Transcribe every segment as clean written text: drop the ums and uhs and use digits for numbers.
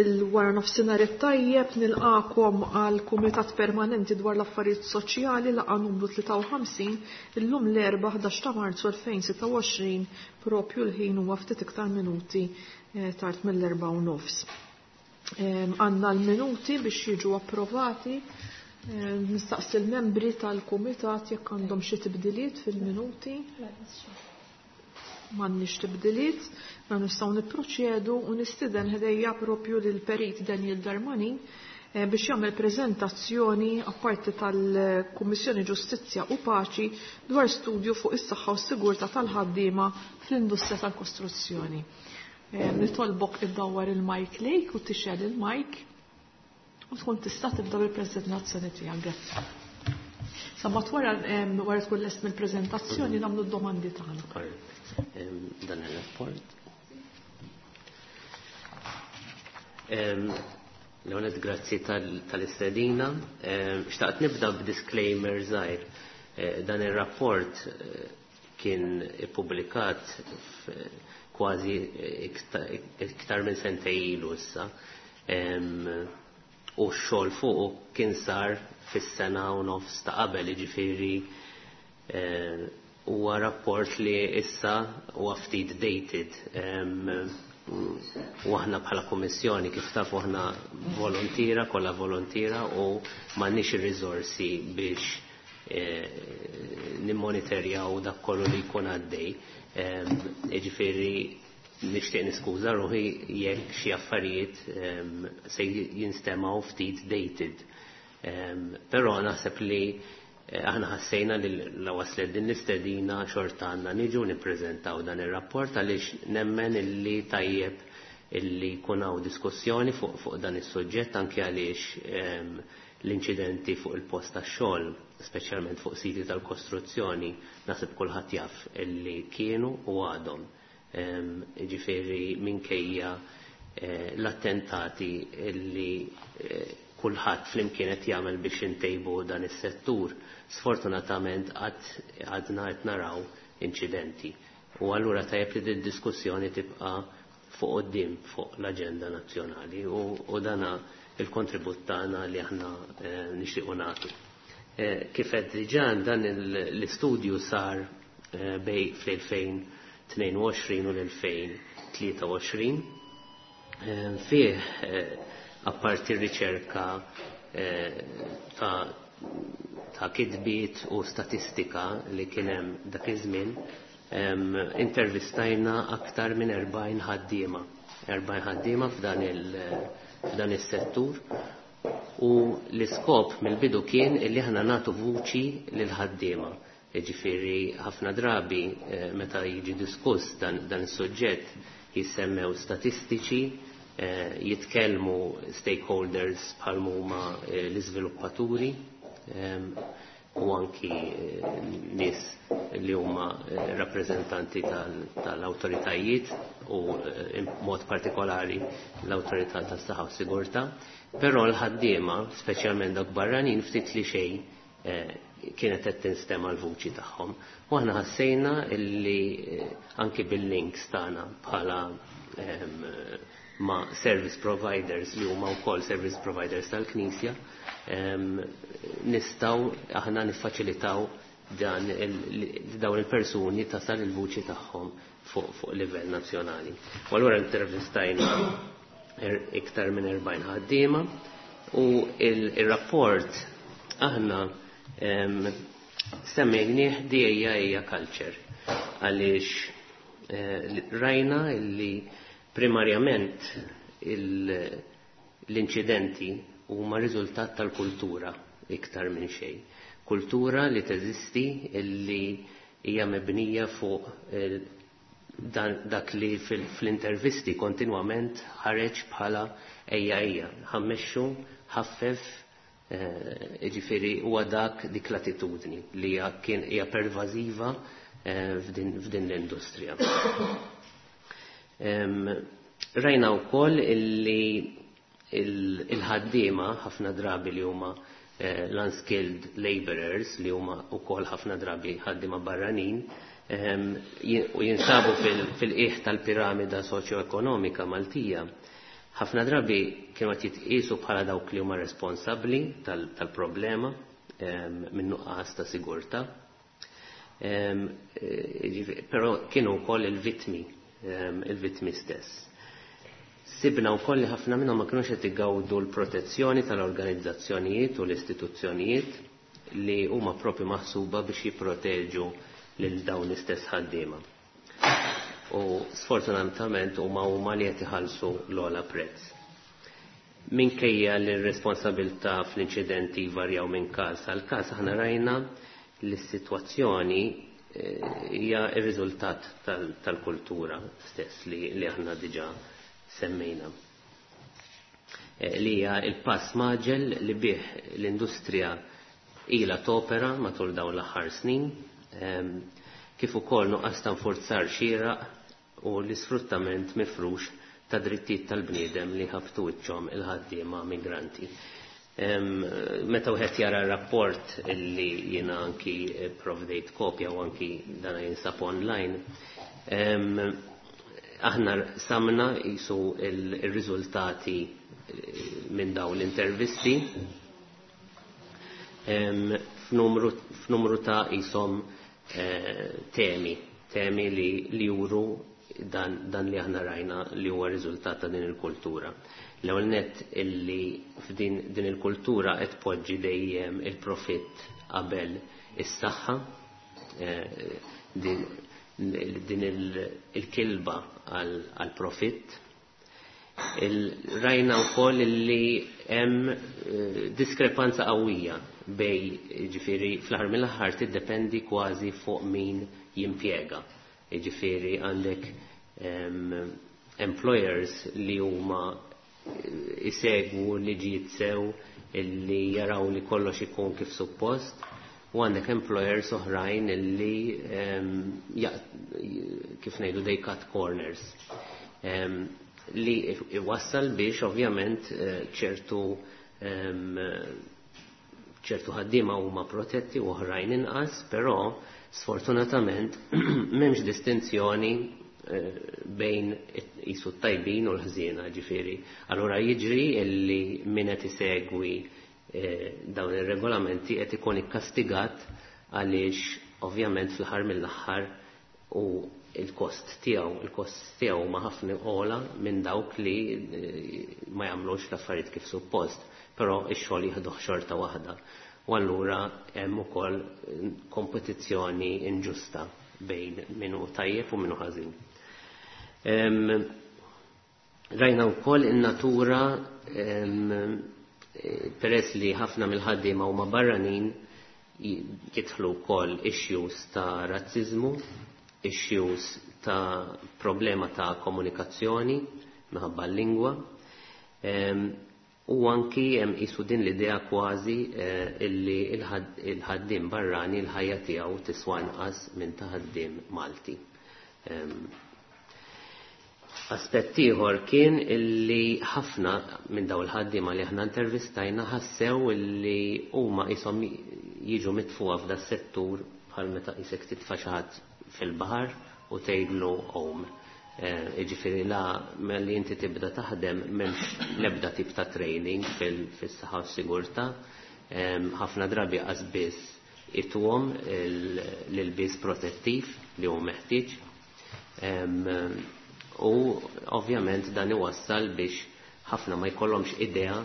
Il-wara nofsinhar it-tajjeb nilqakom għal Kumitat Permanenti dwar l-Affarijiet Soċjali laqgħa numru 53 illum l-Erbgħa 11 ta' Marzu 2026 propju l-ħin huwa ftit iktar minuti eh, tard mill-erba' u nofs. Għandna l-minuti biex jiġu approvati. Nistaqsi l-membri tal-kumitat jekk għandhom xi tibdiliet fil-minuti. M'għandniex tibdiliet, ma nistgħu nipproċedu u nistieden ħdejja propju lil perit Daniel Darmanin eh, biex jagħmel preżentazzjoni apparti tal-Kummissjoni Ġustizzja u Paċi dwar studju fuq is-saħħa u s-sigurtà tal-ħaddiema fl-industrija tal-kostruzzjoni. Eh, nitolbok iddawwar il-mike lejk u tixgħel il-mike u tkun tista' tibda bil-preżentazzjoni tiegħek. Grazzi. Sa mat wara wara tkun lest mill-preżentazzjoni nagħmlu d-domandi tagħna. Dan ir-rapport. L-għonet grazzi tal-istedina. Xtaqt nibda b'disclaimer żgħir. Eh, dan ir-rapport eh, kien ippubblikat kważi iktar minn sentej ilu issa. U x-xogħol fuqu kien sar fis-sena u nofs ta' qabel, jiġifieri eh, huwa rapport li issa huwa ftit dated. U aħna bħala kummissjoni kif tafu aħna volontira, kollha volontira u m'għandniex ir-riżorsi biex eh, nimmonitorjaw dak kollu li jkun għaddej. Jiġifieri nixtieq niskuża ruħi jekk xi affarijiet se jinstemgħu ftit dated. Però naħseb li eh, aħna ħassejna li la waslet din l-istedina xorta għandna niġu nippreżentaw dan ir-rapport għaliex nemmen illi tajjeb illi jkun hawn diskussjoni fuq fuq dan is-suġġett anke għaliex l-inċidenti fuq il-post tax-xogħol, speċjalment fuq siti tal-kostruzzjoni, naħseb kulħadd jaf illi kienu u għadhom. Ġifieri minkejja eh, l-attentati illi eh, kulħadd flimkien qed jagħmel biex intejbu dan is-settur, sfortunatament qatt għadna qed naraw inċidenti. U allura tajjeb li din diskussjoni tibqa' fuq quddiem fuq l-aġenda nazzjonali u, u dana il-kontribut tagħna li aħna eh, nixtiequ nagħtu. Eh, kif qed diġà dan l-istudju sar eh, bej fl-2022 u l-2023 fih apparti r-riċerka ta' ta' kitbiet u statistika li kien hemm dak iż-żmien, intervistajna aktar minn 40 ħaddiema. 40 ħaddiema f'dan il- f'dan is-settur u l-iskop mill-bidu kien illi aħna nagħtu vuċi lil ħaddiema. Jiġifieri ħafna drabi eh, meta jiġi diskuss dan, dan is-suġġett jissemmew statistiċi, eh, jitkellmu stakeholders bħal huma eh, l-iżviluppaturi u anki nies li huma rappreżentanti tal-awtoritajiet u mod partikolari l-awtorità tas-saħħa u sigurtà. Però l-ħaddiema, speċjalment dawk barranin, ftit li xejn kienet qed tinstema' l-vuċi tagħhom. U aħna ħassejna illi anki bil-links tagħna bħala ma' service providers li huma wkoll service providers tal-Knisja, nistgħu aħna niffaċilitaw dan dawn il-persuni tasal il-vuċi tagħhom fuq fuq livell nazzjonali. U allura intervistajna er, iktar minn 40 ħaddiema u il-rapport aħna semmejnieh DIA Culture għaliex eh, rajna li primarjament l-inċidenti huma riżultat tal-kultura iktar minn xejn. Kultura li teżisti illi hija mibnija fuq eh, dak li fl-intervisti kontinwament ħareġ bħala ejja ejja, ħammexxu, ħaffef, eh, jiġifieri huwa dak dik l-attitudni li kien hija pervażiva eh, f'din l-industrija. Rajna wkoll illi il-ħaddiema ħafna drabi li huma eh, l-unskilled laborers li huma wkoll ħafna drabi ħaddiema barranin u jinsabu fil-qiegħ tal-piramida soċjoekonomika Maltija. Ħafna drabi kienu qed jitqisu bħala dawk li huma responsabbli tal-problema minn nuqqas ta' sigurtà. Però kienu wkoll il-vittmi, il-vittmi stess. Sibna wkoll li ħafna minnhom ma kinux qed igawdu l-protezzjoni tal-organizzazzjonijiet u l-istituzzjonijiet li huma propju maħsuba biex jipproteġu lil dawn l-istess ħaddiema. U sfortunatament huma huma li qed iħallsu l-ogħla prezz. Minkejja li r-responsabilità fl-inċidenti jvarjaw minn każ għal każ, aħna rajna li s-sitwazzjoni hija r-riżultat tal-kultura stess li aħna diġà semmejna. Li hija l-pass maġel li bih l-industrija ilha topera matul dawn l-aħħar snin, kif ukoll nuqqas ta' nfurzar xieraq u l-isfruttament mifrux ta' drittijiet tal-bniedem li ħabtu wiċċhom il-ħaddiema migranti. Meta wieħed jara r-rapport illi jiena anki provdejt kopja u anki dana jinsab online, aħna samna jisu il-riżultati minn dawn l-intervisti f'numru ta' jisom temi li juru dan li aħna rajna li huwa riżultat ta' din il-kultura. L-ewwel nett illi f'din din il-kultura qed tpoġġi dejjem il-profitt qabel is-saħħa, din il-kilba għal profitt. Rajna wkoll illi hemm diskrepanza qawwija bej, ġifieri fl-aħħar mill-aħħar tiddependi kważi fuq min jimpjega. Ġifieri għandek employers li huma isegwu liġijiet sew illi jaraw li kollox ikun kif suppost, u għandek employers oħrajn illi kif ngħidu they cut corners. Li iwassal biex ovvjament ċertu ħaddiema huma protetti u oħrajn inqas, però sfortunatament m'hemmx distinzjoni bejn jisu t-tajbin u l-ħżiena, ġifieri. Allura jiġri illi min qed isegwi dawn ir-regolamenti qed ikun ikkastigat għaliex ovvjament fl-aħħar mill-aħħar u il-kost tiegħu, il-kost tiegħu ma ħafna ogħla minn dawk li ma jagħmlux l-affarijiet kif suppost, però x-xogħol jieħdu xorta waħda. U allura hemm ukoll kompetizzjoni inġusta bejn min hu tajjeb u min hu ħażin. Rajna wkoll in-natura, peress li ħafna mill-ħaddiema huma barranin, jidħlu wkoll issues ta' razziżmu, issues ta' problema ta' komunikazzjoni minħabba l-lingwa, u anki hemm qisu din l-idea kważi illi il-ħaddiem barrani l-ħajja tiegħu tiswa inqas minn ta' ħaddiem Malti. Aspett ieħor kien illi ħafna minn dawn il-ħaddiema li aħna intervistajna ħassew illi huma qishom jiġu mitfuha f'da settur bħal meta qisek titfa' xi ħadd fil-baħar u tgħidlu għum. Jiġifieri la malli inti tibda taħdem m'hemmx l-ebda tip ta' training fis-saħħa u s-sigurtà. Ħafna drabi qas biss ituhom l-ilbies protettiv li hu meħtieġ. U ovvjament dan iwassal biex ħafna ma jkollhomx idea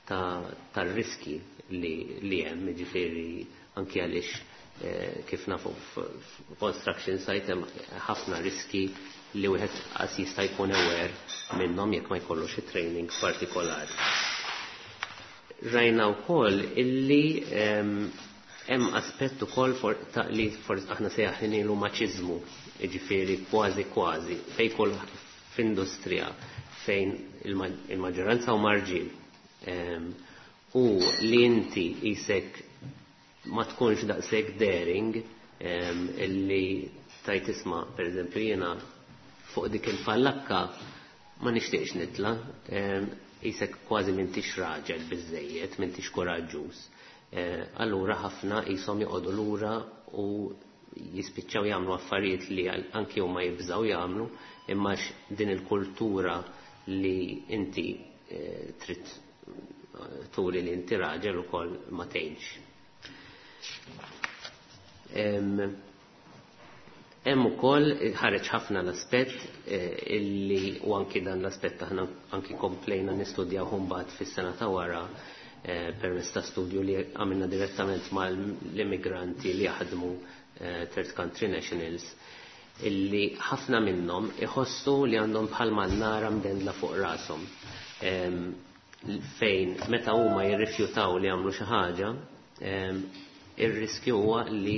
tar-riski li hemm, jiġifieri anki għaliex kif nafu f'construction site hemm ħafna riski li wieħed qas jista' jkun aware minnhom jekk ma jkollux xi training partikolari. Rajna wkoll illi hemm aspett ukoll ta' li aħna sejjaħnilu maċiżmu, jiġifieri kważi kważi fejn kull f'industrija fejn il-maġġoranza huma rġiel. U li inti qisek ma tkunx daqshekk daring, illi tajt isma', pereżempju jiena fuq dik il-fallakka ma nixtieqx nitla, qisek kważi m'intix raġel biżejjed, m'intix kuraġġuż. Allura ħafna qishom joqogħdu lura u jispiċċaw jagħmlu affarijiet li anki huma jibżgħu jagħmlu, imma din il-kultura li inti trid turi li inti raġel ukoll ma tgħinx. Hemm ukoll ħareġ ħafna l-aspett illi u anki dan l-aspett aħna anki komplejna nistudjaw mbagħad fis-sena ta' wara permezz ta' studju li għamilna direttament mal-immigranti li jaħdmu, third country nationals, illi ħafna minnhom iħossu li għandhom bħal mannara mdendla fuq rashom. Fejn meta huma jirrifjutaw li jagħmlu xi ħaġa, ir-riskju huwa li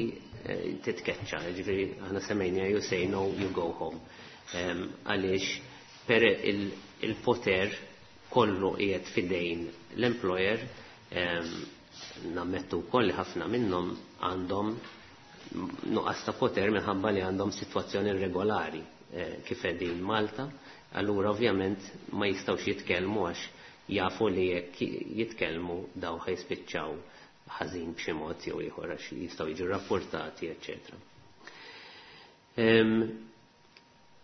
titkeċċa, ġifieri aħna semmejna "you say no, you go home". Għaliex per il-poter kollu qiegħed fidejn l-employer. Nammettu wkoll li ħafna minnhom għandhom nuqqas ta' poter minħabba li għandhom sitwazzjoni irregolari kif qegħdin Malta, allura ovvjament ma jistgħux jitkellmu għax jafu li jekk jitkellmu daw ħa jispiċċaw ħażin b'xi mod jew ieħor għax jistgħu jiġu rapportati, eċċetera.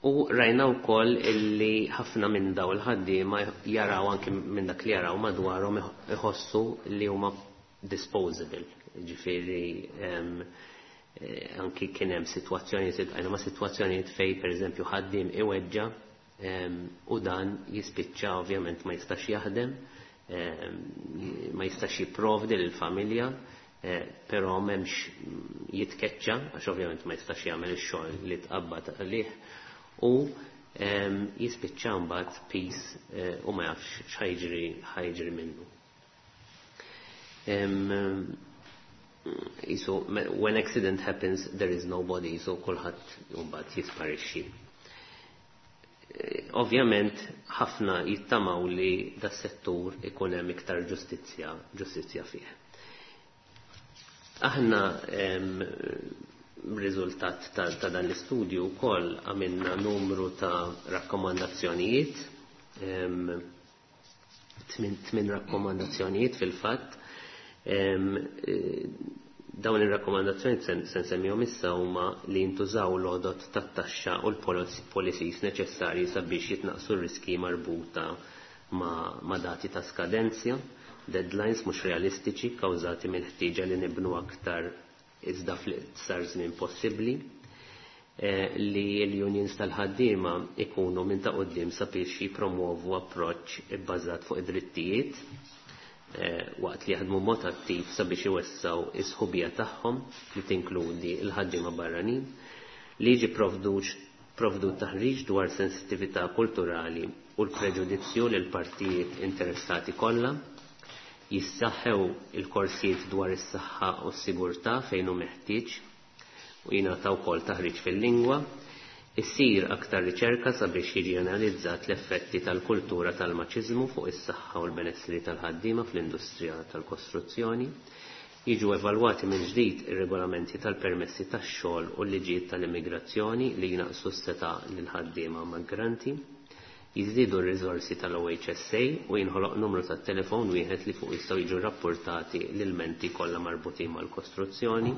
U rajna wkoll illi ħafna minn daw il-ħaddiema jaraw, anki minn dak li jaraw madwarhom, iħossu li huma disposable. Ġifieri anki kien hemm sitwazzjonijiet, iltqajna ma' sitwazzjonijiet fej pereżempju ħaddiem iweġġa u dan jispiċċa ovvjament ma jistax jaħdem, ma jistax jipprovdi lill-familja, però m'hemmx jitkeċċa għax ovvjament ma jistax jagħmel ix-xogħol li tqabbad għalih u jispiċċa mbagħad piż u ma jafx x'ħa jiġri minnu. So, when accident happens, there is nobody, so kulħadd mbagħad jisparixxi. Ovvjament ħafna jittamaw li da settur ikun hemm iktar ġustizzja fih. Aħna riżultat ta' dan l-istudju wkoll għamilna numru ta' rakkomandazzjonijiet, tmin rakkomandazzjonijiet fil-fatt. Dawn ir-rakkomandazzjonijiet se nsemmihom issa huma li jintużaw l-għodot tat-taxxa u l-policies neċessarji sabiex jitnaqsu r-riski marbuta ma' dati ta' skadenzja, deadlines mhux realistiċi kawżati minn ħtieġa li nibnu aktar iżda fl-iqsar żmien possibbli, li l-unions tal-ħaddiema ikunu minn ta' quddiem sabiex jipromuovu approċċ ibbażat fuq id-drittijiet waqt li jaħdmu mod attiv sabiex iwessaw is-sħubija tagħhom li tinkludi l-ħaddiema barranin, li jiġi provdut taħriġ dwar sensittività kulturali u l-preġudizzju lil partijiet interessati kollha, jissaħħew il-korsijiet dwar is-saħħa u s-sigurtà fejn hu meħtieġ u jingħataw ukoll taħriġ fil-lingwa, issir aktar riċerka sabiex jiġi analizzat l-effetti tal-kultura tal-maċiżmu fuq is-saħħa u l-benessri tal-ħaddiema fl-industrija tal-kostruzzjoni, jiġu evalwati minn ġdid ir-regolamenti tal-permessi tax-xogħol u l-liġijiet tal-immigrazzjoni li jnaqsu s-setgħa lil ħaddiema migranti, jiżdiedu r-riżorsi tal-OHSA u jinħoloq numru tat-telefon wieħed li fuq jistgħu jiġu rapportati l-ilmenti kollha marbutin mal-kostruzzjoni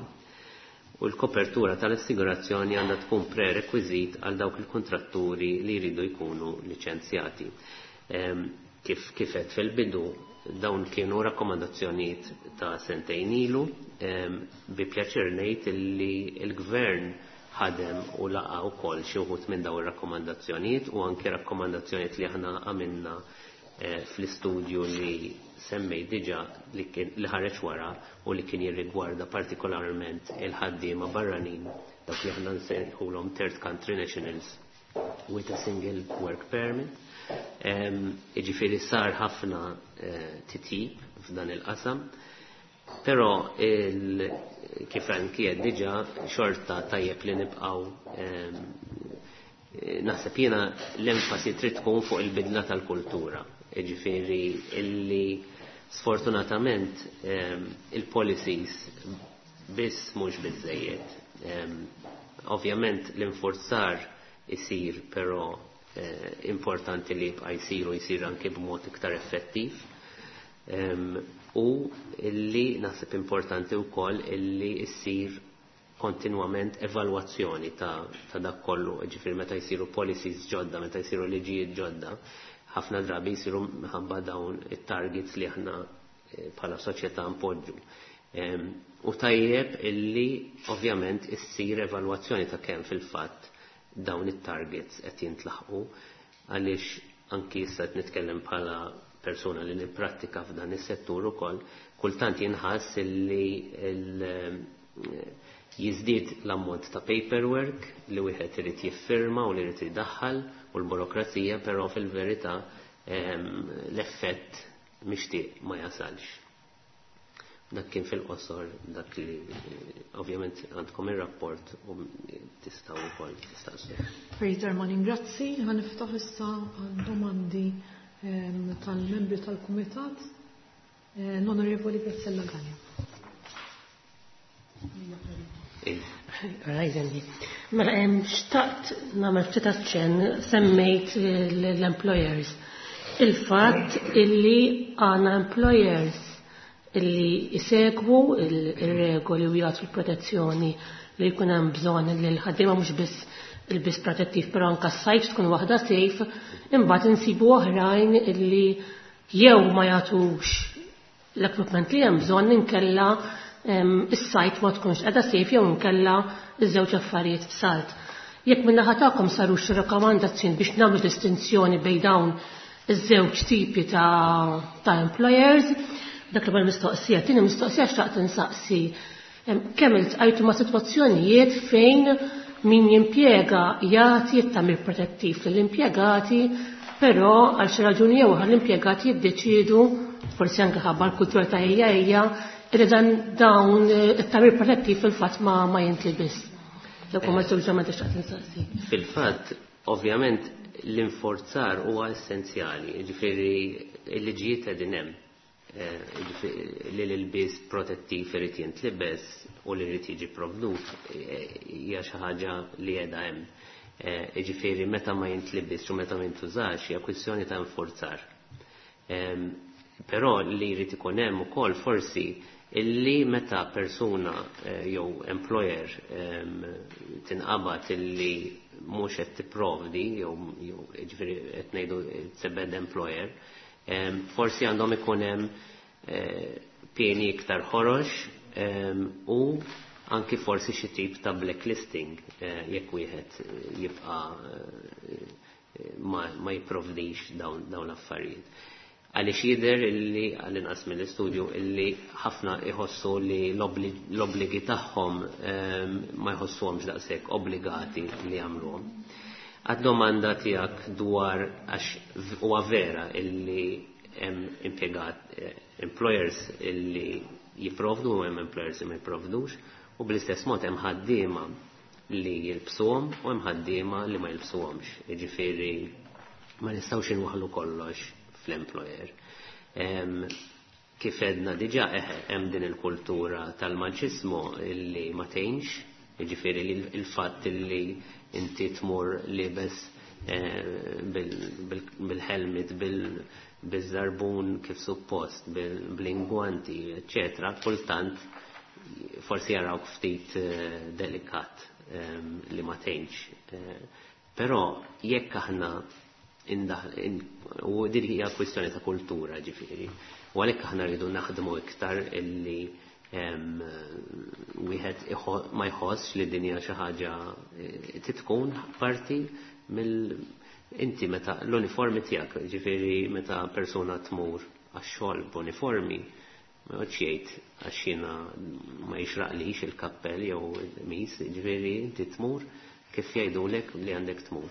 u l-kopertura tal-assigurazzjoni għandha tkun prerekwiżit għal dawk il-kontratturi li jridu jkunu liċenzjati. Kif għedt fil-bidu, dawn kienu rakkomandazzjonijiet ta' sentejn ilu, bi pjaċir ngħid li l-gvern ħadem u laqa wkoll xi wħud minn dawn ir-rakkomandazzjonijiet u anke rakkomandazzjonijiet li aħna għamilna fl-istudju li semmej diġa li ħareġ wara u li kien jirrigwarda partikolarment il-ħaddiema barranin, dak li aħna nsejħulhom third country nationals with a single work permit. Jiġifieri sar ħafna titjib f'dan il-qasam, però kif anki għedt diġa xorta tajjeb li nibqgħu, naħseb jiena, l-enfasi trid tkun fuq il-bidla tal-kultura. Ġifieri illi sfortunatament il-policies biss mhux biżejjed. Ovvjament l-infurzar isir, però importanti li jibqa' jsir u jsir anke b'mod iktar effettiv. U illi naħseb importanti wkoll illi issir kontinwament evalwazzjoni ta' dak kollu, ġifieri meta jsiru policies ġodda, meta jsiru liġijiet ġodda, Ħafna drabi jsiru minħabba dawn it-targets li aħna bħala soċjetà npoġġu. U tajjeb illi ovvjament issir evalwazzjoni ta' kemm fil-fatt dawn it-targets qed jintlaħqu, għaliex anki issa qed nitkellem bħala persuna li nipprattika f'dan is-settur ukoll, kultant jinħass illi jiżdied l-ammont ta' paperwork li wieħed irid jiffirma u li jrid idaħħal u l-burokrazija, però fil-verità l-effett mixtieq ma jasalx. Dak kien fil-qosor dak li ovvjament għandkom ir-rapport u tistgħu wkoll tistaqsu. Peter Manin, grazzi. Ħa niftaħ issa għal domandi tal-membri tal-Kumitat. L-Onorevoli Graziella Galea. Rajdendi. Mela, xtaqt nagħmel ftit aċċenn, semmejt l-employers. Il-fatt illi għandna employers illi jsegwu il-regoli u jagħtu l-protezzjoni li jkun hemm bżonn li l-ħaddiema, mhux biss il-bis protettiv, però anke s-site tkun waħda safe, imbagħad insibu oħrajn illi jew ma jagħtux l-equipment li hemm bżonn, inkella is-site ma tkunx qiegħda safe, jew inkella iż-żewġ affarijiet f'salt. Jekk min-naħa tagħkom saru xi rakkomandazzjoni biex nagħmlu distinzjoni bejn dawn iż-żewġ tipi ta' employers, dak l-ewwel mistoqsija. Tieni mistoqsija, xtaqt insaqsi kemm iltqajtu ma' sitwazzjonijiet fejn min jimpjega jagħti t-tagħmir protettiv lill-impjegati, però għal xi raġuni jew oħra l-impjegati jiddeċiedu, forsi anke ħabba l-kultura ta' ejja ejja, li dan dawn it-tagħmir protettiv fil-fatt ma jintlibis. Dak huma żewġ domandi xtaqt insaqsi. Fil-fatt, ovvjament, l-inforzar huwa essenzjali, ġifieri l-liġijiet qegħdin hemm. Ġifieri li l-ilbies protettiv irid jintlibes u li jrid jiġi provdut hija xi ħaġa li qiegħda hemm. Ġifieri meta ma jintlibes u meta ma jintużax hija kwistjoni ta' inforzar. Però li jrid ikun hemm ukoll forsi illi meta persuna jew employer tinqabad illi mhux qed tipprovdi, jew ġifieri qed ngħidu it's a bad employer, forsi għandhom ikun hemm pieni iktar ħorox u anki forsi xi tip ta' blacklisting jekk wieħed jibqa' ma jipprovdix dawn l-affarijiet. Għaliex jidher illi, għall-inqas mill-istudju, illi ħafna iħossu li l-obbligi tagħhom ma jħossuhomx daqshekk obbligati li jagħmluhom. Għad-domanda tiegħek dwar, għax huwa vera illi hemm impjegat employers illi jipprovdu u hemm employers li ma jipprovdux, u bl-istess mod hemm ħaddiema li jilbsuhom u hemm ħaddiema li ma jilbsuhomx. Jiġifieri ma nistgħux inwaħħlu kollox fl-employer. Kif edna diġà, hemm din il-kultura tal-maċismu illi ma tgħinx, jiġifieri li il-fatt illi inti tmur libes bil-helmet, bil-żarbun kif suppost, bil-ingwanti, eccetera, kultant forsi jarawk ftit delikat li ma tgħinx. Però jekk aħna u din hija kwistjoni ta' kultura ġifieri, u għalhekk aħna rridu naħdmu iktar illi wieħed ma jħossx li din hija xi ħaġa titkun parti mill inti meta l-uniformi tiegħek, ġifieri meta persuna tmur għax-xogħol b'uniformi, ma joqgħodx jgħid għax jiena ma jixraqlix il-kappell jew il-qmis, ġifieri inti tmur kif jgħidulek li għandek tmur.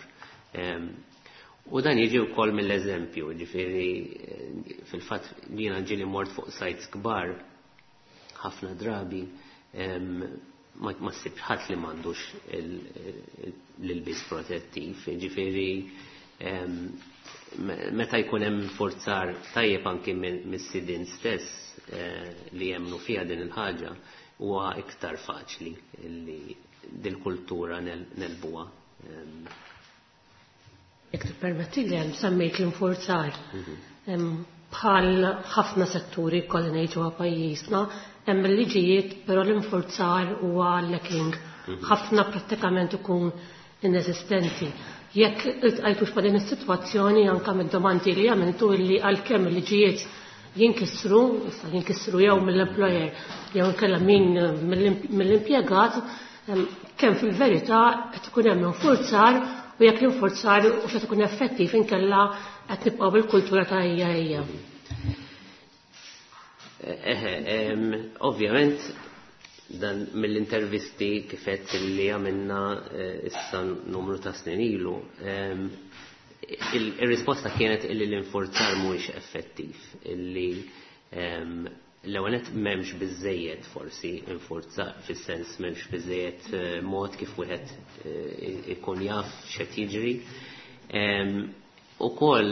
U dan jiġi wkoll mill-eżempju, ġifieri fil-fatt jiena ġieli mort fuq sites kbar ħafna drabi ma ssibx ħadd li m'għandux l-ilbies protettiv, ġifieri meta jkun hemm forzar tajjeb anki mis-sidin stess li jemmnu fiha din il-ħaġa, huwa iktar faċli li dil-kultura negħlbuha. Jekk tippermetti li hemm semmejt l-infurzar. Bħal ħafna setturi kolli ngħid ġewwa pajjiżna, hemm il-liġijiet, però l-infurzar huwa lacking. Ħafna prattikament ikun inesistenti. Jekk iltqajtux ma' din is-sitwazzjoni anke mid-domandi li għamiltu illi għalkemm il-liġijiet jinkisru, issa jinkisru jew mill-employer jew inkella min mill-impjegat, kemm fil-verità qed ikun hemm infurzar u jekk l-infurzar u qed ikun effettiv inkella qed nibqgħu bil-kultura ta' hija hija. Ovvjament dan mill-intervisti kifet li għamilna issa numru ta' snin ilu, il-risposta kienet illi l-infurzar mhuwiex effettiv, illi l-ewwel nett m'hemmx biżejjed forsi infurzar fis-sens m'hemmx biżejjed mod kif wieħed ikun jaf x'qed jiġri. Ukoll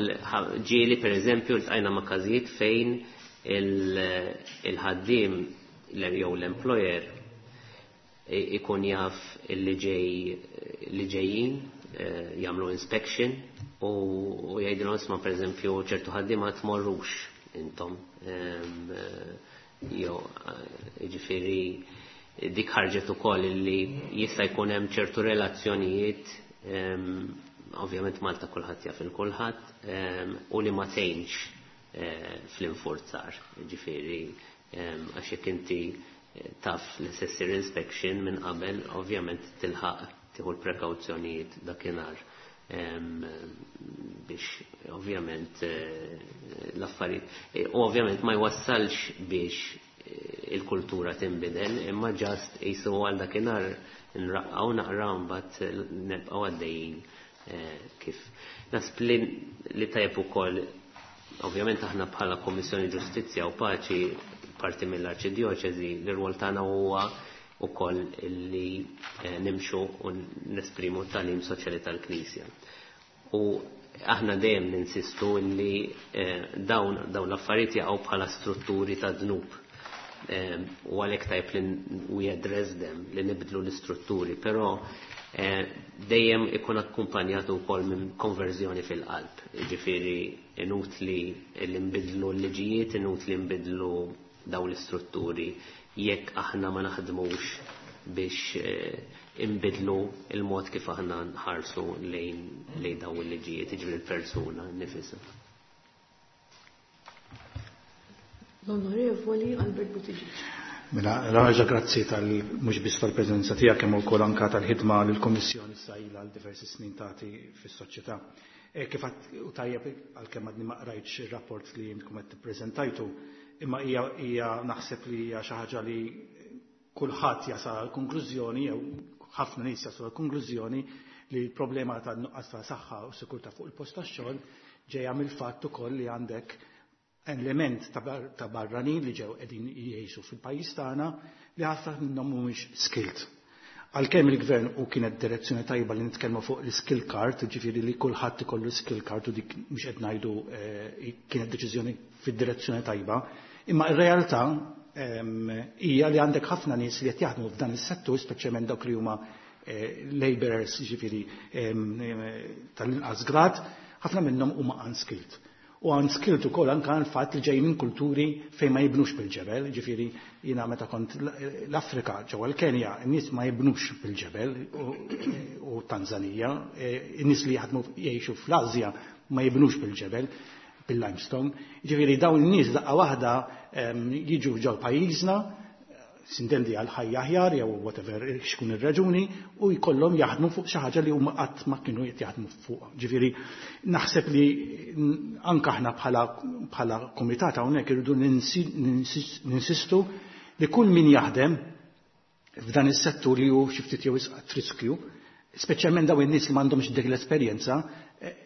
ġieli pereżempju ltqajna ma' każijiet fejn il-ħaddiem jew l-employer ikun jaf li ġej li ġejjin jagħmlu inspection u jgħidilhom isma' pereżempju ċertu ħaddiema tmorrux intom. Jew jiġifieri dik ħarġet ukoll li jista' jkun hemm ċertu relazzjonijiet, ovvjament Malta kulħadd jaf il kulħadd, u li ma tgħinx fl-infurzar, ġifieri għax jekk inti taf li se ssir inspection minn qabel, ovvjament tilħaq tieħu l-prekawzjonijiet dakinhar biex ovvjament l-affarijiet. U ovvjament ma jwassalx biex il-kultura tinbidel, imma just jisu għal dakinhar nraqqaw naqra mbagħad nibqgħu għaddejjin kif. Nasb li tajjeb ukoll, ovvjament aħna bħala Kommissjoni Ġustizzja u Paċi parti mill-Arċidjoċeżi, l-rwol tagħna huwa ukoll li nimxu u nesprimu t-tagħlim soċjali tal-Knisja. U aħna dejjem ninsistu li dawn l-affarijiet jaqgħu bħala strutturi ta' dnub. U għalhekk tajb li we address them, li nibdlu l-istrutturi, però dejjem ikun akkumpanjat ukoll minn konverżjoni fil-qalb. Jiġifieri inutli li nbidlu l-liġijiet, inutli nbidlu dawn l-istrutturi jekk aħna ma naħdmux biex inbidlu il-mod kif aħna nħarsu lejn dawn il-liġijiet, jiġifieri l-persuna nifisha. L-Onorevoli Albert Buttigieg. Mela, raġa grazzi tal mhux biss tal-preżenza tiegħek kemm ukoll anke tal-ħidma li l-Kummissjoni issa ilha għal diversi snin tagħti fis-soċjetà. Kif għad u tajjeb għalkemm għadni ma qrajtx ir-rapport li intkom qed tippreżentajtu, imma hija naħseb li hija xi ħaġa li kulħadd jasal għal konklużjoni jew ħafna nies jaslu għal konklużjoni li l-problema tan-nuqqas ta' saħħa u sikurtà fuq il-post tax-xogħol ġejja mill-fatt ukoll li għandek element ta' barranin li ġew qegħdin jgħixu fil-pajjiż tagħna li ħafna minnhom mhumiex skilled. Għalkemm il-gvern u kienet direzzjoni tajba li nitkellmu fuq l-skill card, ġifieri li kulħadd ikollu skill card u dik mhux qed ngħidu kienet deċiżjoni fid-direzzjoni tajba, imma r-realtà hija li għandek ħafna nies li qed jaħdmu f'dan is-settur, speċjalment dawk li huma laborers, ġifieri tal-inqas grad, ħafna minnhom huma unskilled. U unskilled ukoll anke għal fatt li ġej minn kulturi fejn ma jibnux bil-ġebel, ġifieri jiena meta kont l-Afrika ġewwa l-Kenja, n-nies ma jibnux bil-ġebel u Tanzanija, n-nies li jaħdmu jgħixu fl-Asja ma jibnux bil-ġebel, bil-limestone. Ġifieri dawn in-nies daqqa waħda jiġu ġew pajjiżna, sintendi għal ħajja aħjar jew whatever x'kun ir-raġuni, u jkollhom jaħdmu fuq xi ħaġa li huma qatt ma kienu qed jaħdmu fuq. Ġifieri naħseb li anke aħna bħala kumitat hawnhekk irridu ninsistu li kull min jaħdem f'dan is-settur li hu xi ftit jew wisq riskju, speċjalment dawn in-nies li m'għandhomx dik l-esperjenza,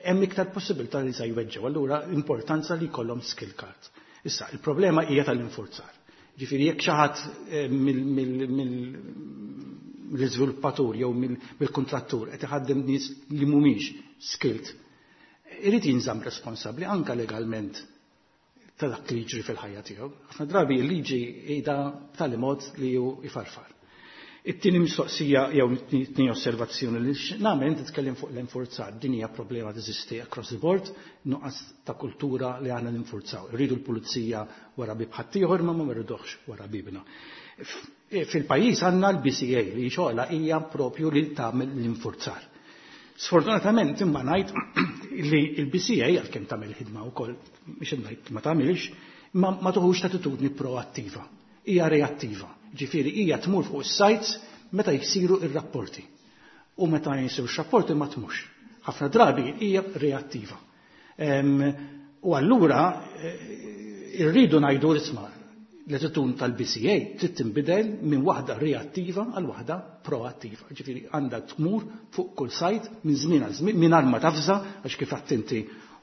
hemm iktar possibilità li se jweġġgħu. Allura importanza li jkollhom skill card. Issa, il-problema hija tal-infurzar. Ġifieri jekk xi ħadd mill-iżviluppatur jew mill-kuntrattur qed iħaddem nies li mhumiex skilled, irid jinżamm responsabbli anke legalment ta' dak li jiġri fil-ħajja tiegħu. Ħafna drabi l-liġi qiegħda b'tali mod li hu ifarfar. It-tieni mistoqsija jew it-tieni osservazzjoni li nagħmel, inti titkellem fuq l-infurzar, din hija problema teżisti across the board, nuqqas ta' kultura li għandna ninfurzaw. Irridu l-pulizija wara bib ħaddieħor ma ma rridux wara bibna. Fil-pajjiż għandna l-BCA li xogħla hija propju li tagħmel l-infurzar. Sfortunatament imma ngħid li l-BCA għalkemm tagħmel ħidma wkoll biex ngħid ma tagħmilx, ma, ma tuħux attitudni proattiva. Hija reattiva. Ġifieri hija tmur fuq is-sites meta jsiru ir-rapporti. U meta jsiru rapporti ma tmux. Ħafna drabi hija reattiva. U allura irridu ngħidu isma' l-attitudni tal-BCA trid tinbidel minn waħda reattiva għal waħda proattiva. Ġifieri għandha tmur fuq kull site minn żmien għal żmien mingħajr ma tafża għax kif inti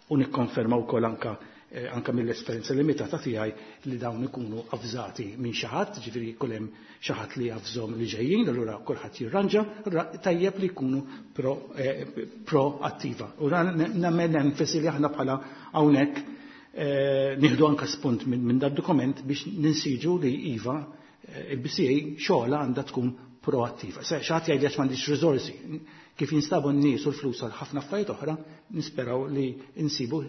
u nikkonferma wkoll anka mill-esperjenza limitata tiegħi li dawn ikunu avżati minn xi ħadd, ġifieri jkun hemm xi ħadd li javżhom li ġejjin, allura kulħadd jirranġa, allura tajjeb li jkunu proattiva. U nagħmel enfasi li aħna bħala hawnhekk nieħdu anka spunt minn dad dokument biex ninsiġu li iva il-BCA xogħla għandha tkun proattiva. Se xi ħadd jgħid għax m'għandix riżorsi. Kif jinstabu n-nies u l-flus għal ħafna affarijiet oħra, nisperaw li insibu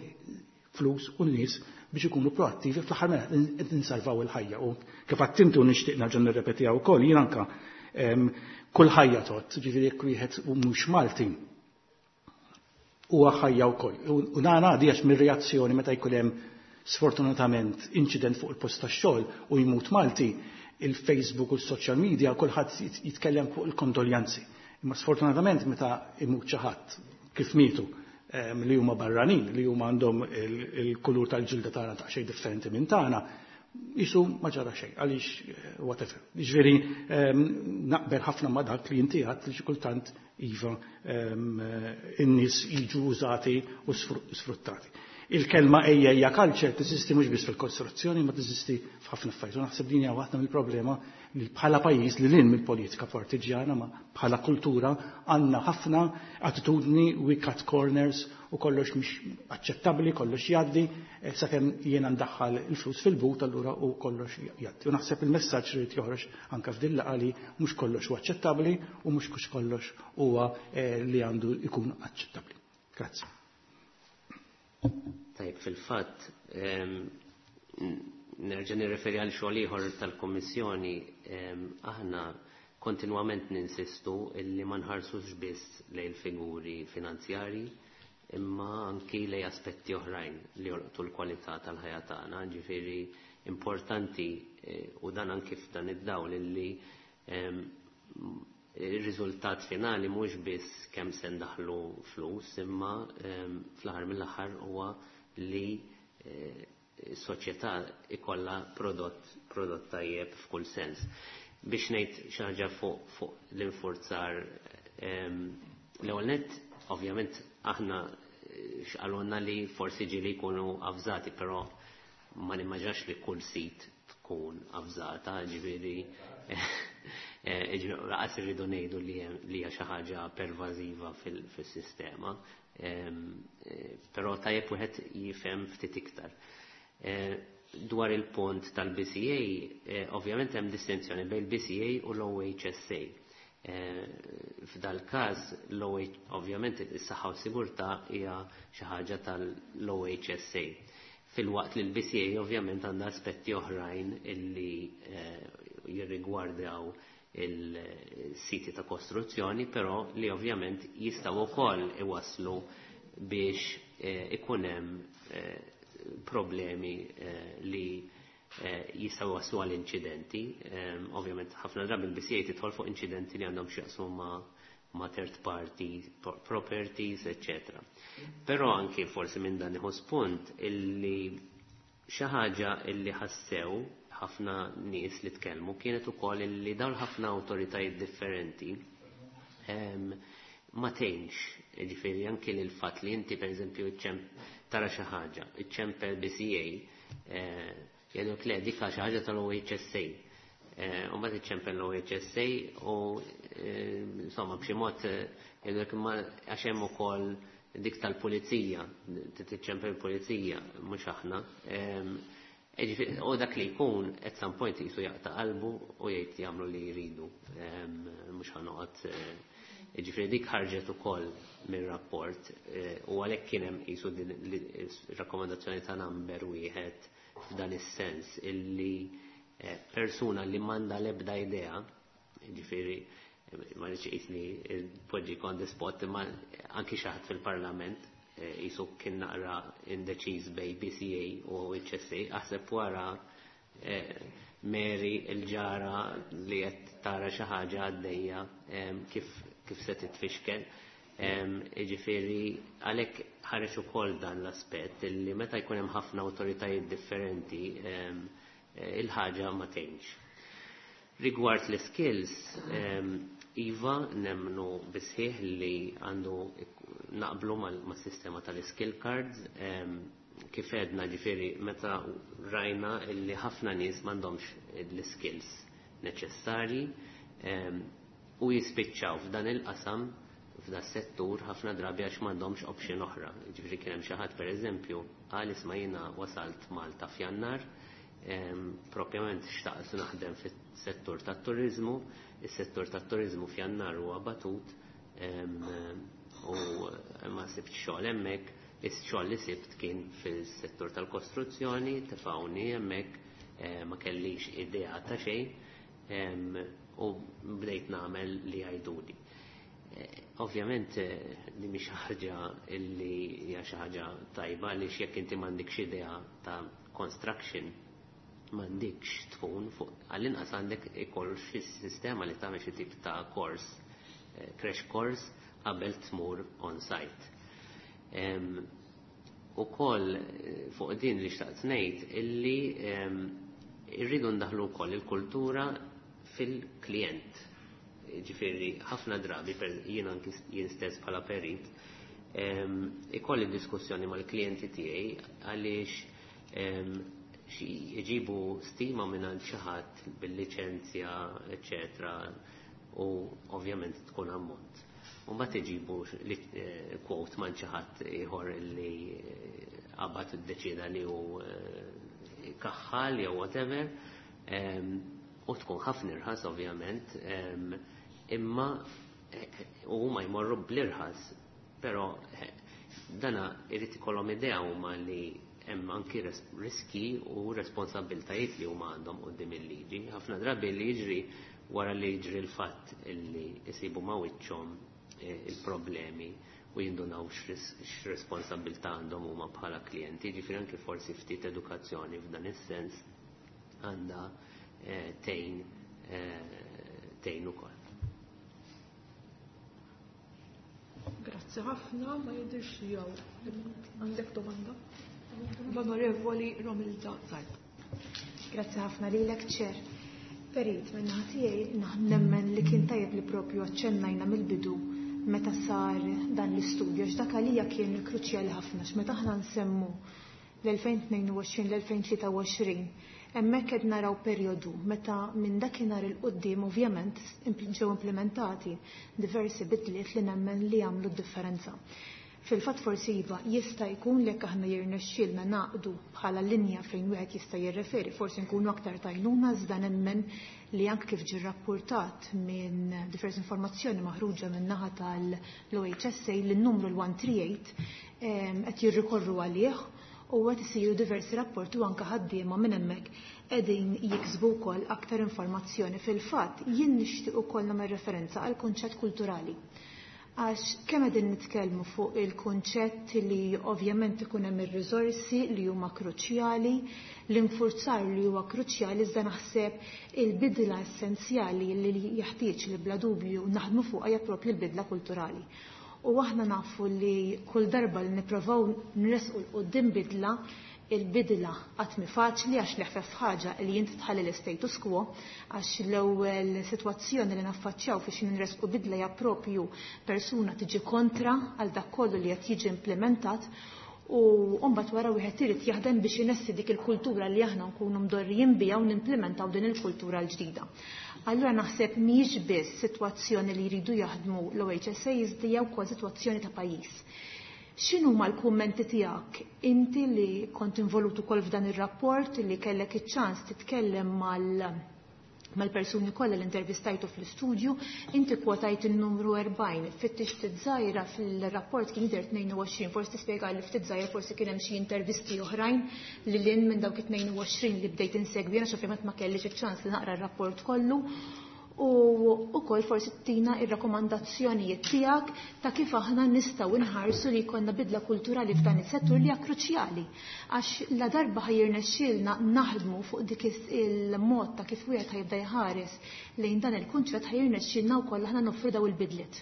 flus u n-nies biex ikunu proattivi fl-aħħar mela qed insalvaw il-ħajja. U kif għattintu nixtieq nerġa' nirrepetiha wkoll jien anka kull ħajja tot, ġifieri jekk wieħed mhux Malti huwa ħajja wkoll. U nara għadi għax mir-reazzjoni meta jkun hemm sfortunatament incident fuq il-post tax-xogħol u jmut Malti, il-Facebook u l-social media kulħadd jitkellem fuq il-kondoljanzi. Imma sfortunatament meta imut xi ħadd kif mietu li huma barranin, li huma għandhom il-kulur tal-ġilda tagħna ta' xejn differenti minn tagħna, jisu ma ġara xejn, għaliex whatever. Ġifieri naqbel ħafna ma dak li inti għedt li xi kultant iva in-nies jiġu użati u sfruttati. Il-kelma ejja ejja culture teżisti mhux biss fil-kostruzzjoni, ma teżisti f'ħafna affarijiet. U naħseb din hija waħda mill-problema li bħala pajjiż li lin mill-politika partiġjana ma bħala kultura għandna ħafna attitudni we cut corners u kollox mhix aċċettabbli, kollox jgħaddi, sakemm jiena ndaħħal il-flus fil-but allura u kollox jgħaddi. U naħseb il-messaġġ irid joħroġ anke f'din laqgħa li mhux kollox huwa aċċettabbli u mhux kollox huwa li għandu jkun aċċettabbli. Grazzi. Tajb, fil-fatt, nerġa' nirreferi għal xogħol ieħor tal-Kummissjoni, aħna kontinwament ninsistu illi ma nħarsux biss lejn figuri finanzjari, imma anki lej aspetti oħrajn li jolqtu l-kwalità tal-ħajja tagħna, ġifieri importanti u dan anki f'dan id-dawl illi il-riżultat finali mhux biss kemm se ndaħlu flus, imma fl-aħħar mill-aħħar huwa li s-soċjetà ikollha prodott tajjeb f'kull sens. Biex ngħid xi ħaġa fuq l-infurzar, l-ewwel nett, ovvjament aħna x'qalulna li forsi ġieli jkunu avżati, però ma nimmaġinax li kull sit tkun avżata, ġifieri laqas irridu ngħidu li hija xi ħaġa pervażiva fis-sistema. Però tajjeb wieħed jifhem ftit iktar. Dwar il-punt tal-BCA, ovvjament hemm distinzjoni bejn il-BCA u l-OHSA. F'dal każ ovvjament is-saħħa u sigurtà hija xi ħaġa tal-OHSA. Filwaqt li l-BCA ovvjament għandha aspetti oħrajn illi jirrigwardaw il-siti ta' kostruzzjoni, però li ovvjament jistgħu wkoll iwasslu biex ikun hemm problemi li jistgħu waslu għal inċidenti. Ovvjament ħafna drabi il-BCA tidħol fuq inċidenti li għandhom x'jaqsmu ma' third party properties, eccetera. Però anki forsi minn dan iħu spunt illi xi ħaġa illi ħassew ħafna nies li tkellmu kienet ukoll illi dawn ħafna awtoritajiet differenti ma tgħinx, ġifieri anki lil fatt li inti pereżempju tara xi ħaġa, iċċempel BCA, jgħidulek le dik xi ħaġa tal-OHSA. U mbagħad iċċempel l-OHSA u insomma b'xi mod jgħidulek imma għax hemm ukoll dik tal-pulizija, tiċċempel il-pulizija, mhux aħna. U dak li jkun at some point jisu jaqta' qalbu u jgħid jagħmlu li jridu. Mhux ħanoqgħod, ġifieri dik ħarġet ukoll mir-rapport u għalhekk kien hemm qisu din rakkomandazzjoni ta' number wieħed f'dan is-sens illi persuna li m'għandha l-ebda idea, ġifieri Ma rridx qisni poġġi on the spot, imma anki xi ħadd fil-Parlament jisu kien naqra indeċiż bejn BCA u HSA, aħseb wara Mary il-ġara li qed tara xi ħaġa għaddejja kif se titfixkel. Jiġifieri għalhekk ħareġ ukoll dan l-aspett li meta jkun hemm ħafna awtoritajiet differenti il-ħaġa ma tgħinx. Rigward l-skills, iva nemmnu bis-sħiħ li għandu naqblu mas-sistema tal-skill cards. Kif għedna, ġifieri meta rajna illi ħafna nies m'għandhomx l-skills neċessarji u jispiċċaw f'dan il-qasam, f'dan settur, ħafna drabi għax m'għandhomx option oħra. Ġifieri kien hemm xi ħadd, pereżempju, qal: "Isma', jiena wasalt Malta f'Jannar, propjament xtaqt naħdem fis-settur tat-turizmu, is-settur tat-turizmu f'Jannar huwa batut u ma sibt xogħol hemmhekk, is-xogħol li sibt kien fis-settur tal-kostruzzjoni, tefgħuni hemmhekk, ma kellix idea ta' xejn u bdejt nagħmel li jgħiduli." Ovvjament li mhix ħaġa illi hija xi ħaġa tajba, li jekk inti m'għandekx idea ta' construction m'għandekx tkun fuq. Għall-inqas għandek ikoll xi sistema li tagħmel xi tip ta' course, crash course qabel tmur on site. Ukoll fuq din li xtaqt ngħid illi irridu ndaħlu wkoll il-kultura fil-klient. Ġifieri ħafna drabi jien anki jien stess bħala perit ikolli diskussjoni mal-klijenti tiegħi għaliex xi jġibu stima minn għand xi ħadd bil-liċenzja, eċetera, u ovvjament tkun ammont. U mbagħad iġibu quote minn xi ħadd ieħor li qabad iddeċida li hu kaħħal jew whatever, u tkun ħafna irħas ovvjament, imma u huma jmorru bl-irħas, però dana irid ikollhom idea huma li hemm anki riski u responsabbiltajiet li huma għandhom quddiem il-liġi. Ħafna drabi li jiġri, wara li jiġri l-fatt illi jsibu ma' wiċċhom il-problemi u jindunaw x'responsabbiltà għandhom huma bħala klijenti, ġifieri anki forsi ftit edukazzjoni f'dan is-sens għandha tgħin ukoll. Grazzi ħafna, ma jidirx jew għandek domanda. L-Onorevoli Romilda Zarb. Grazzi ħafna lilek, Chair. Perit, min-naħa tiegħi nemmen li kien tajjeb li propju aċċennajna mill-bidu meta sar dan l-istudju, għax dak għalija kien kruċjali ħafna, meta aħna nsemmu l-2022, l-2023, hemmhekk qed naraw perjodu meta minn dakinhar 'il quddiem ovvjament ġew implementati diversi bidliet li nemmen li jagħmlu d-differenza. Fil-fatt forsi iva jista' jkun li jekk aħna jirnexxielna naqdu bħala linja fejn wieħed jista' jirreferi, forsi nkunu aktar tajnuna, iżda nemmen li anke kif ġie rapportat minn diversi informazzjoni maħruġa minn naħa tal-OHSA li n-numru l-138 qed jirrikorru għalih u qed isiru diversi rapporti u anke ħaddiema minn hemmhekk qegħdin jiksbu wkoll aktar informazzjoni. Fil-fatt jien nixtieq ukoll nagħmel referenza għal kunċett kulturali. Għax kemm qegħdin nitkellmu fuq il-kunċett li ovvjament ikun hemm ir-riżorsi li huma kruċjali, l-infurzar li huwa kruċjali, iżda naħseb il-bidla essenzjali li jeħtieġ li bla dubju naħdmu fuqha hija propju l-bidla kulturali. U aħna nafu li kull darba li nipprovaw nresqu 'l quddiem bidla, il-bidla qatt mhi faċli, għax l-eħfef ħaġa li inti tħalli l-status quo, għax l-ewwel sitwazzjoni li naffaċċjaw biex nresqu bidla hija propju persuna tiġi kontra għal dak kollu li qed jiġi implementat, u mbagħad wara wieħed irid jaħdem biex inessi dik il-kultura li aħna nkunu mdorrijin biha u nimplementaw din il-kultura l-ġdida. Allura naħseb mhijiex biss sitwazzjoni li jridu jaħdmu l-OHSA, iżda hija wkoll sitwazzjoni ta' pajjiż. X'inhuma l-kummenti tiegħek inti li kont involut ukoll f'dan ir-rapport, li kellek iċ-ċans titkellem mal-persuni kollha li intervistajtu fl-istudju? Inti kwotajt il-numru 40, fittix ftit żgħira, fil-rapport kien jidher 22, forsi tispjega li ftit żgħira, forsi kien hemm xi intervisti oħrajn li lin minn dawk it-22 li bdejt insegwi, għax ovvjament ma kellix iċ-ċans li naqra r-rapport kollu. u wkoll forsi tina ir-rakkomandazzjonijiet tiegħek ta' kif aħna nistgħu nħarsu li jkollna bidla kulturali f'dan is-settur li hija kruċjali. Għax la darba ħajirnexxielna naħdmu fuq dik il-mod ta' kif wieħed ħajibda jħares lejn dan il-kunċett, ħajirnexxielna wkoll aħna noffru daw il-bidliet.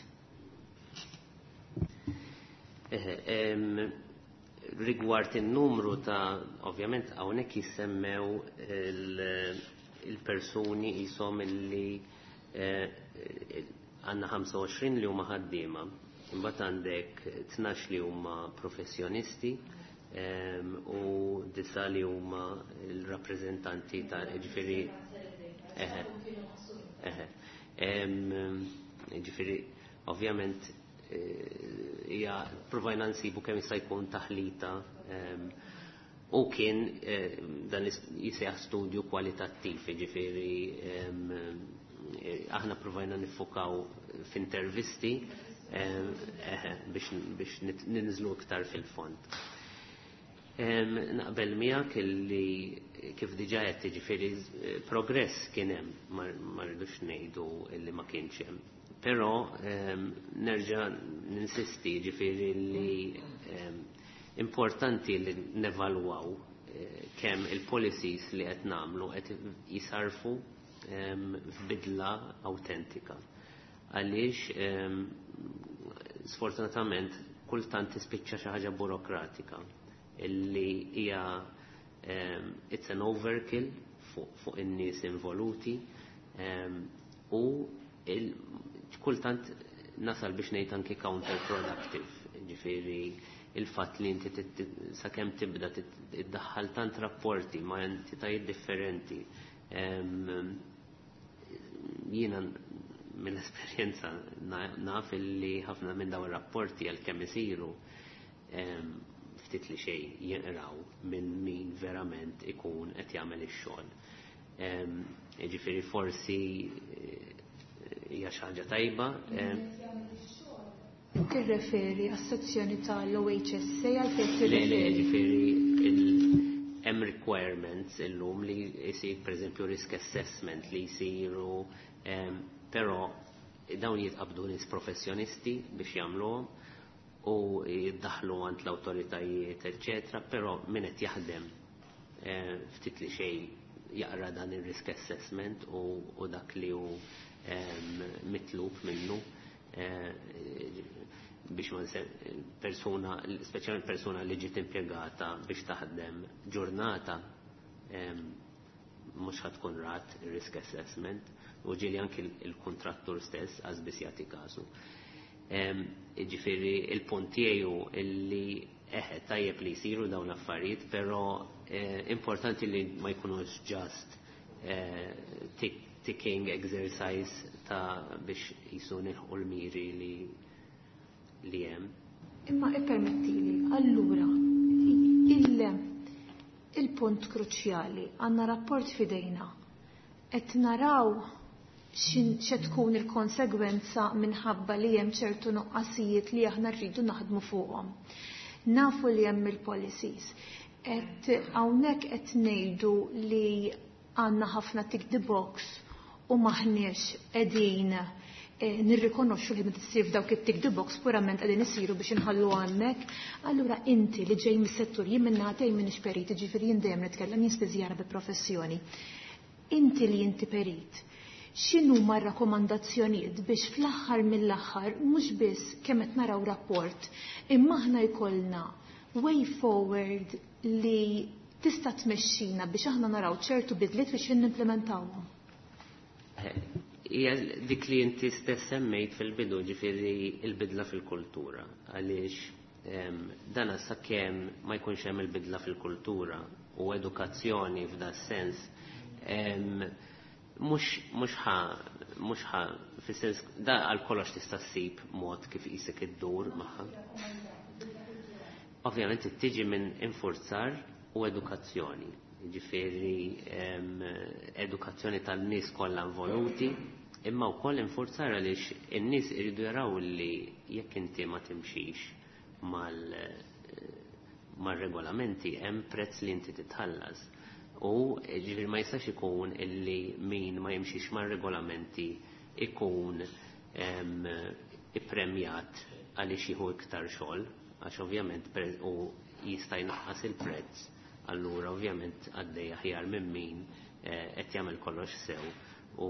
Rigward in-numru ta', ovvjament hawnhekk jissemmew il-persuni jisom illi għandna 25 li huma ħaddiema, imbagħad għandek 12 li huma professjonisti u 9 li huma l-rappreżentanti ta', ġifieri eħe. Ġifieri ovvjament hija provajna nsibu kemm jista' jkun taħlita u kien dan jisejjaħ studju kwalitattiv, ġifieri aħna provajna nifokaw f'intervisti biex ninżlu iktar fil-fond. Naqbel miegħek illi kif diġà qed, jiġifieri progress kien hemm, ma rridux ngħidu illi ma kienx hemm. Però nerġa' ninsisti, ġifieri li importanti li nevalwaw kemm il-policies li qed nagħmlu qed jisarfu f'bidla autentika. Għaliex sfortunatament kultant tispiċċa xi ħaġa burokratika illi hija it's an overkill fuq in-nies involuti u kultant nasal biex ngħid anki counterproductive. Ġifieri il-fatt li inti sakemm tibda tiddaħħal tant rapporti ma' entitajiet differenti. Jiena mill-esperjenza naf li ħafna minn dawn ir-rapporti għal kemm isiru ftit li xejn jinqraw minn min verament ikun qed jagħmel ix-xogħol. Ġifieri forsi hija xi ħaġa tajba. Tirreferi għas-sezzjoni tal-OHSA, għalfejn Le, le, tirreferi? Ġifieri hemm requirements illum li jsir pereżempju risk assessment li jsiru, però dawn jitqabdu nies professjonisti biex jagħmluhom u jiddaħlu għand l-awtoritajiet, eċċetera, però min qed jaħdem ftit li xejn jaqra dan ir-risk assessment u dak li hu mitlub minnu biex ma persuna, speċjalment persuna li ġiet impjegata biex taħdem ġurnata, mhux ħa tkun rat risk assessment u ġieli anki il-kontrattur stess għax biss jagħti kasu. Ġifieri il-punt tiegħi illi eħe tajjeb li jsiru dawn l-affarijiet, però importanti li ma jkunux just ticking exercise ta' biex jisu nilħu l-miri li hemm. Imma ippermettili, allura, il-punt kruċjali, għandna rapport fidejna, qed naraw xe tkun il-konsegwenza minħabba li hemm ċertu nuqqasijiet li aħna rridu naħdmu fuqhom. Nafu li hemm il-policies. Et hawnhekk qed ngħidu li għandna ħafna tick the box u maħniex qegħdin nirrikonoxxu li meta ssir f'dawk it-tick the box purament qegħdin isiru biex inħallu hemmhekk. Allura inti li ġej mis-settur, jien minn nagħtej minn perit, ġifieri jien dejjem nitkellem, jien spiżjara bi professjoni. Inti li inti perit, x'inhu ma rakkomandazzjonijiet biex fl-aħħar mill-aħħar mhux biss kemm qed naraw rapport, imma aħna jkollna way forward li tista' tmexxina biex aħna naraw ċertu bidliet biex nimplementawhom? Hija dik li inti stess semmejt fil-bidu, ġifieri il-bidla fil-kultura. Għaliex dana sakemm ma jkunx hemm il-bidla fil-kultura u edukazzjoni f'da sens, mhux ħa fis-sens da għal kollox tista' ssib mod kif qisek iddur magħha. Ovvjament tiġi minn infurzar u edukazzjoni. Ġifieri edukazzjoni tan-nies kollha involuti, imma wkoll infurzar, għaliex in-nies iridu jaraw li jekk inti ma timxix mal-regolamenti hemm prezz li inti titħallas. U ġifieri ma jistax ikun illi min ma jimxix mar-regolamenti ikun ippremjat għaliex jieħu iktar xogħol, għax ovvjament u jista' jnaqqas il-prezz, allura ovvjament għaddej aħjar minn min qed jagħmel kollox sew u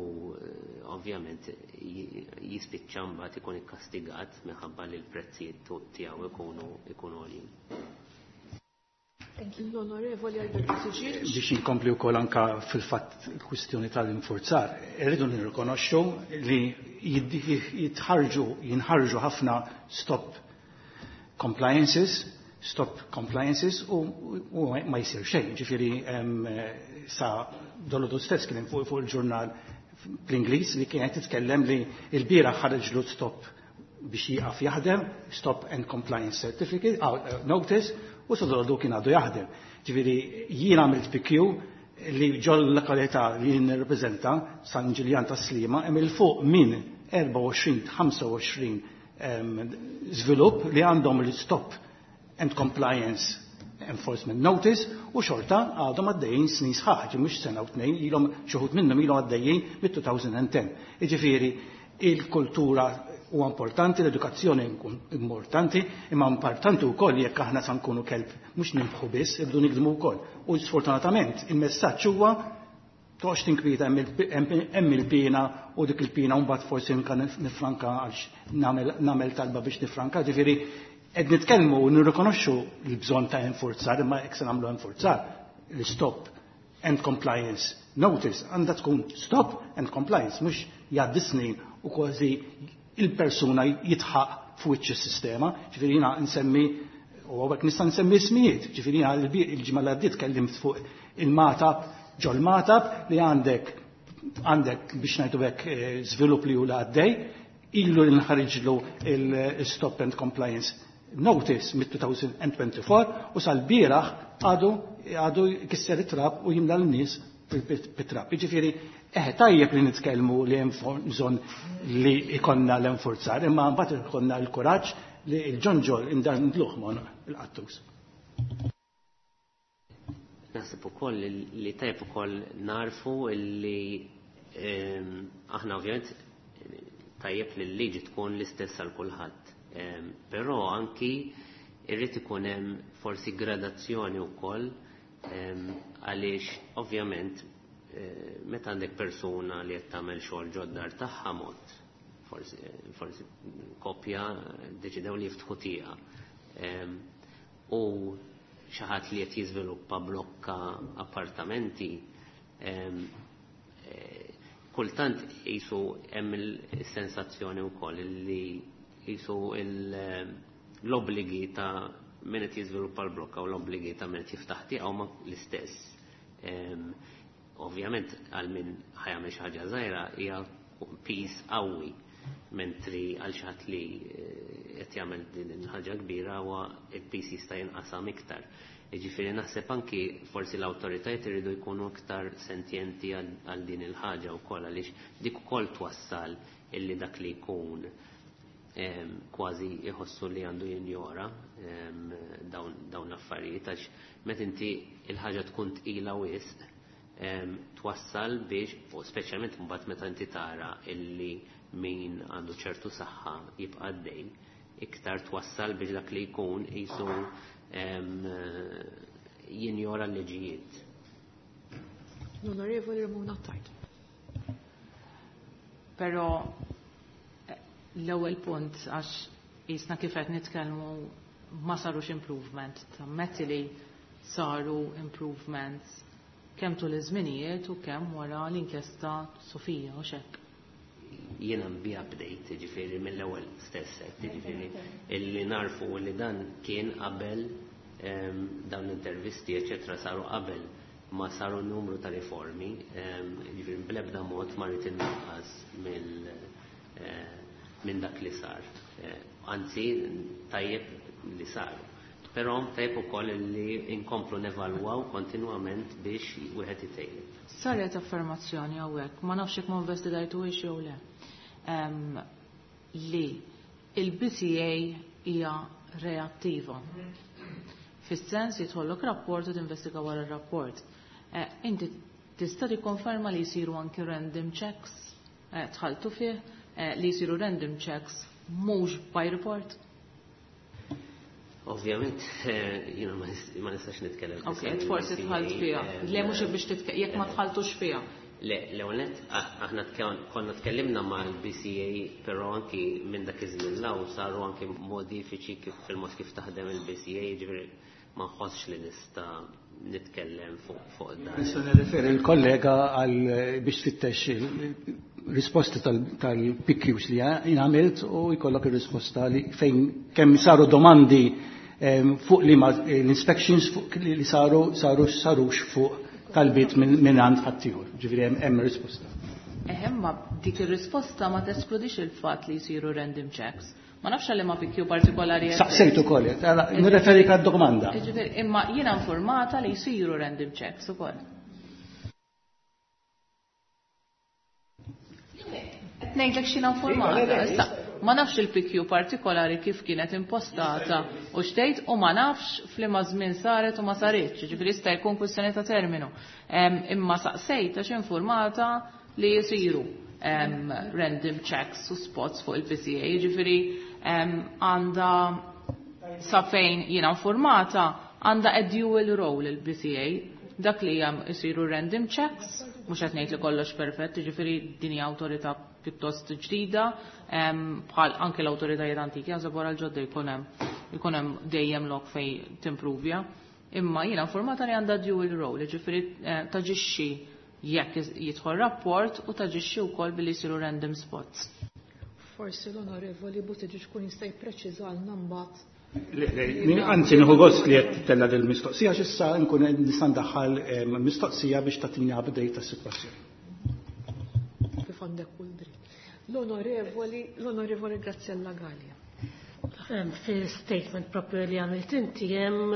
ovvjament jispiċċa mbagħad ikun ikkastigat minħabba li l-prezzijiet tiegħu ikunu għoljin. Thank you. L-Onorevoli Albert Buttigieg. Biex inkompli wkoll anka fil-fatt il-kwistjoni tal-infurzar, irridu nirrikonoxxu li jitħarġu, jinħarġu ħafna stop compliances, stop compliances u ma jsir xejn. Ġifieri sa dolodu stess kien fuq il-ġurnal bl-Ingliż li kienet titkellem li l-bieraħ ħareġlu stop biex jieqaf jaħdem, stop and compliance certificate, notice, u sa dolodu kien għadu jaħdem. Ġifieri jien għamilt PQ li ġol lokalità li jien nirrepreżenta San Ġiljan ta' Sliema hemm il fuq minn 24-25 żvilupp li għandhom l-stop and compliance enforcement notice u xorta għadhom għaddejjin snin sħaħ, ġi mhux sena u tnejn, ilhom xi wħud minnhom ilhom għaddejjin mit-2010. Jiġifieri il-kultura huwa importanti, l-edukazzjoni importanti, imma importanti wkoll jekk aħna sa nkunu kelb mhux ninbħu biss, irridu nikdmu wkoll. U sfortunatament il-messaġġ huwa toqgħodx tinkwieta hemm il-pina u dik il-pina mbagħad forsi nifranka għax nagħmel talba biex nifranka, ġifieri qed nitkellmu u nirrikonoxxu l-bżonn ta' enforzar, imma jekk se nagħmlu enforzar, l-stop and compliance notice għandha tkun stop and compliance, mhux jgħaddi snin u kważi il-persuna jitħaq f'wiċċ is-sistema. Ġifieri jiena nsemmi u hawnhekk nista' nsemmi ismijiet, ġifieri jiena il-ġimgħa li għaddiet kellimt fuq il-Magħtab, ġol Magħtab li għandek biex ngħidu hekk żvilupp li hu għaddej, ilu li nħarġlu il-stop and compliance notice mit-2024 u sal-bieraħ għadu jkisser it-trab u jimla l-nies bit-trab. Jiġifieri tajjeb li nitkellmu li hemm bżonn li ikonna l-enforzar, imma mbagħad ikonna l-kuraġġ li l-ġonġol indandluh mon il-qattus. Naħseb ukoll li tajjeb ukoll narfu li aħna ovvjament tajjeb li l-liġi tkun l-istess għal kulħadd. Però anki irrid ikun hemm forsi gradazzjoni wkoll għaliex ovvjament meta għandek persuna li qed tagħmel xogħol ġoddar tagħha mod, forsi koppja deċidew li jiftħu tieqa. U xi ħadd li qed jiżviluppa blokka appartamenti, kultant qisu hemm il-sensazzjoni wkoll li qisu l-obbligi ta' min qed jiżviluppa l-blokka u l-obbligi ta' min qed jiftaħ tieqa huma l-istess. Ovvjament għal min ħajamel xi ħaġa żgħira hija pis qawwi, mentri għal xi ħadd li qed jagħmel din il-ħaġa kbira huwa il-pis jista' jinqasam iktar. Jiġifieri naħseb anki forsi l-awtoritajiet iridu jkunu iktar sentjenti għal din il-ħaġa wkoll għaliex dik ukoll twassal illi dak li jkun kważi jħossu li għandu jinjora dawn l-affarijiet għax meta inti il-ħaġa tkun tqila wisq twassal biex, u speċjalment mbagħad meta inti tara illi min għandu ċertu saħħa jibqa' għaddej, iktar twassal biex dak li jkun qisu jinjora l-liġijiet. L-Onorevoli Ramona Attard. Però l-ewwel punt għax jisna kif qed nitkellmu ma sarux improvement, tammetti li saru improvements kemm tul iż-żminijiet u kemm wara l-inkjesta Sofija u xekk. Jiena bi update, ġifieri mill-ewwel stess, ġifieri illi narfu li dan kien qabel dawn l-intervisti, eċetera, saru qabel ma saru numru ta' riformi, ġifieri bl-ebda mod ma rrid innaqqas minn dak li sar. Anzi, tajjeb li saru. Però tajjeb ukoll li inkomplu nevalwaw kontinwament biex wieħed itejjeb. Saret affermazzjoni hawnhekk, ma nafx jekk ma investigajtuhiex jew le. Li il-BCA hija reattiva. Fis-sens jidħollok rapport u tinvestiga wara r-rapport. Inti tista' tikkonferma li jsiru anki random checks, tħaltu fih, li jsiru random checks mhux by report? Ovvjament, jiena ma nistax nitkellem. Ok, forsi tħalt fiha. Le, mhux biex titkellem, jekk ma tħaltux fiha. Le, l-ewwel, aħna konna tkellimna mal-BCA, però anki minn dak iż-żmien law saru anki modifiċi kif fil-mod kif taħdem il-BCA, jiġifieri ma nħossx li nista' nitkellem fuq dan. Nista' nirreferi l-kollega għal biex tfittex risposti tal-PQs li jien għamilt u jkollok ir-risposta li fejn kemm saru domandi fuq li l-inspections fuq li saru sarux fuq talbiet minn għand ħaddieħor. Ġifieri hemm risposta. Eħem, ma dik ir-risposta ma teskludix il-fatt li jsiru random checks. Ma nafx għalli ma PQ partikolari. Saqsejt ukoll, nirreferi għad-domanda. Ġifieri, imma jiena informata li jsiru random checks ukoll. Qed ngħidlek x'jiena informata. Issa, ma nafx il-PQ partikolari kif kienet impostata u xtejt u ma nafx f'liema żmien saret u ma saritx, ġifieri jista' jkun kwistjoni ta' terminu. Imma saqsejt għax informata li jisiru random checks u spots fuq il-PCA, ġifieri għandha, sa fejn jiena informata, għandha a dual role il-BCA, dak li jam isiru random checks, mhux qed ngħid li kollox perfett, ġifieri din hija awtorità pjuttost ġdida, bħal anke l-awtoritajiet antiki, għażeb wara l-ġodda jkun hemm dejjem lok fejn timpruvja. Imma jiena informata li għandha dual role, ġifieri taġixxi jekk jidħol rapport u taġixxi wkoll billi jsiru random spots. Forsi l-Onorevoli Buttigieg kun jista' jippreċiżalna mbagħad. Anzi, nieħu gost li qed tella' din mistoqsija x'issa nkun nista' ndaħħal mistoqsija biex tagħtini update tas-sitwazzjoni. Kif għandek kull dritt. L-Onorevoli Graziella Gallia. Fi statement propju li għamilt inti hemm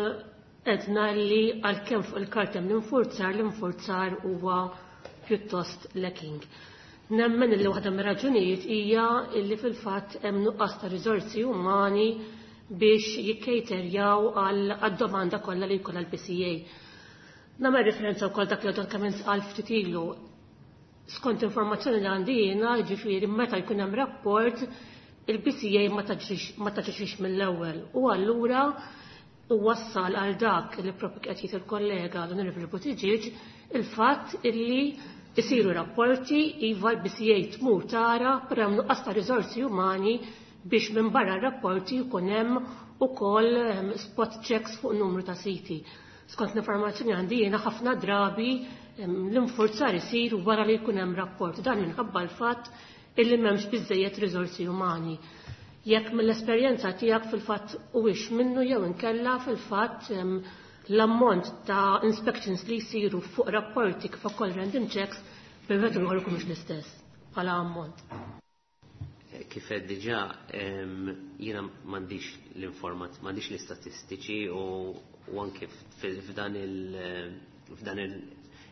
edna li għalkemm fuq il-karta hemm l-infurzar, l-infurzar huwa pjuttost lacking. Nemmen li waħda mir-raġunijiet hija li fil-fatt hemm nuqqas ta' riżorsi umani biex jikkejterjaw għad-domanda kollha li jkollha l-PCA. Nagħmel referenza wkoll dak li għadha kemm intqal ftit ilu. Skont informazzjoni li għandi jiena, jiġifieri meta jkun hemm rapport, il-BCA ma taġixix mill-ewwel u allura wassal għal dak li propju qed jgħid il-kollega l-Onorevoli Buttigieg il-fatt illi isiru rapporti, iva l-BCA tmur tara, però hemm nuqqas ta' riżorsi umani biex minn barra r-rapporti jkun hemm ukoll spot checks fuq numru ta' siti. Skont l-informazzjoni għandi jiena ħafna drabi l-infurzar isir wara li jkun hemm rapport, dan minħabba l-fatt illi m'hemmx biżejjed riżorsi umani. Jekk mill-esperjenza tiegħek fil-fatt huwiex minnu jew inkella fil-fatt l-ammont ta' inspections li jsiru fuq rapporti kif ukoll random checks bil-vetu ieħor ikun mhux l-istess bħala ammont. Kif qed diġà, jiena m'għandix l-informat, m'għandix l-istatistiċi u anke f'dan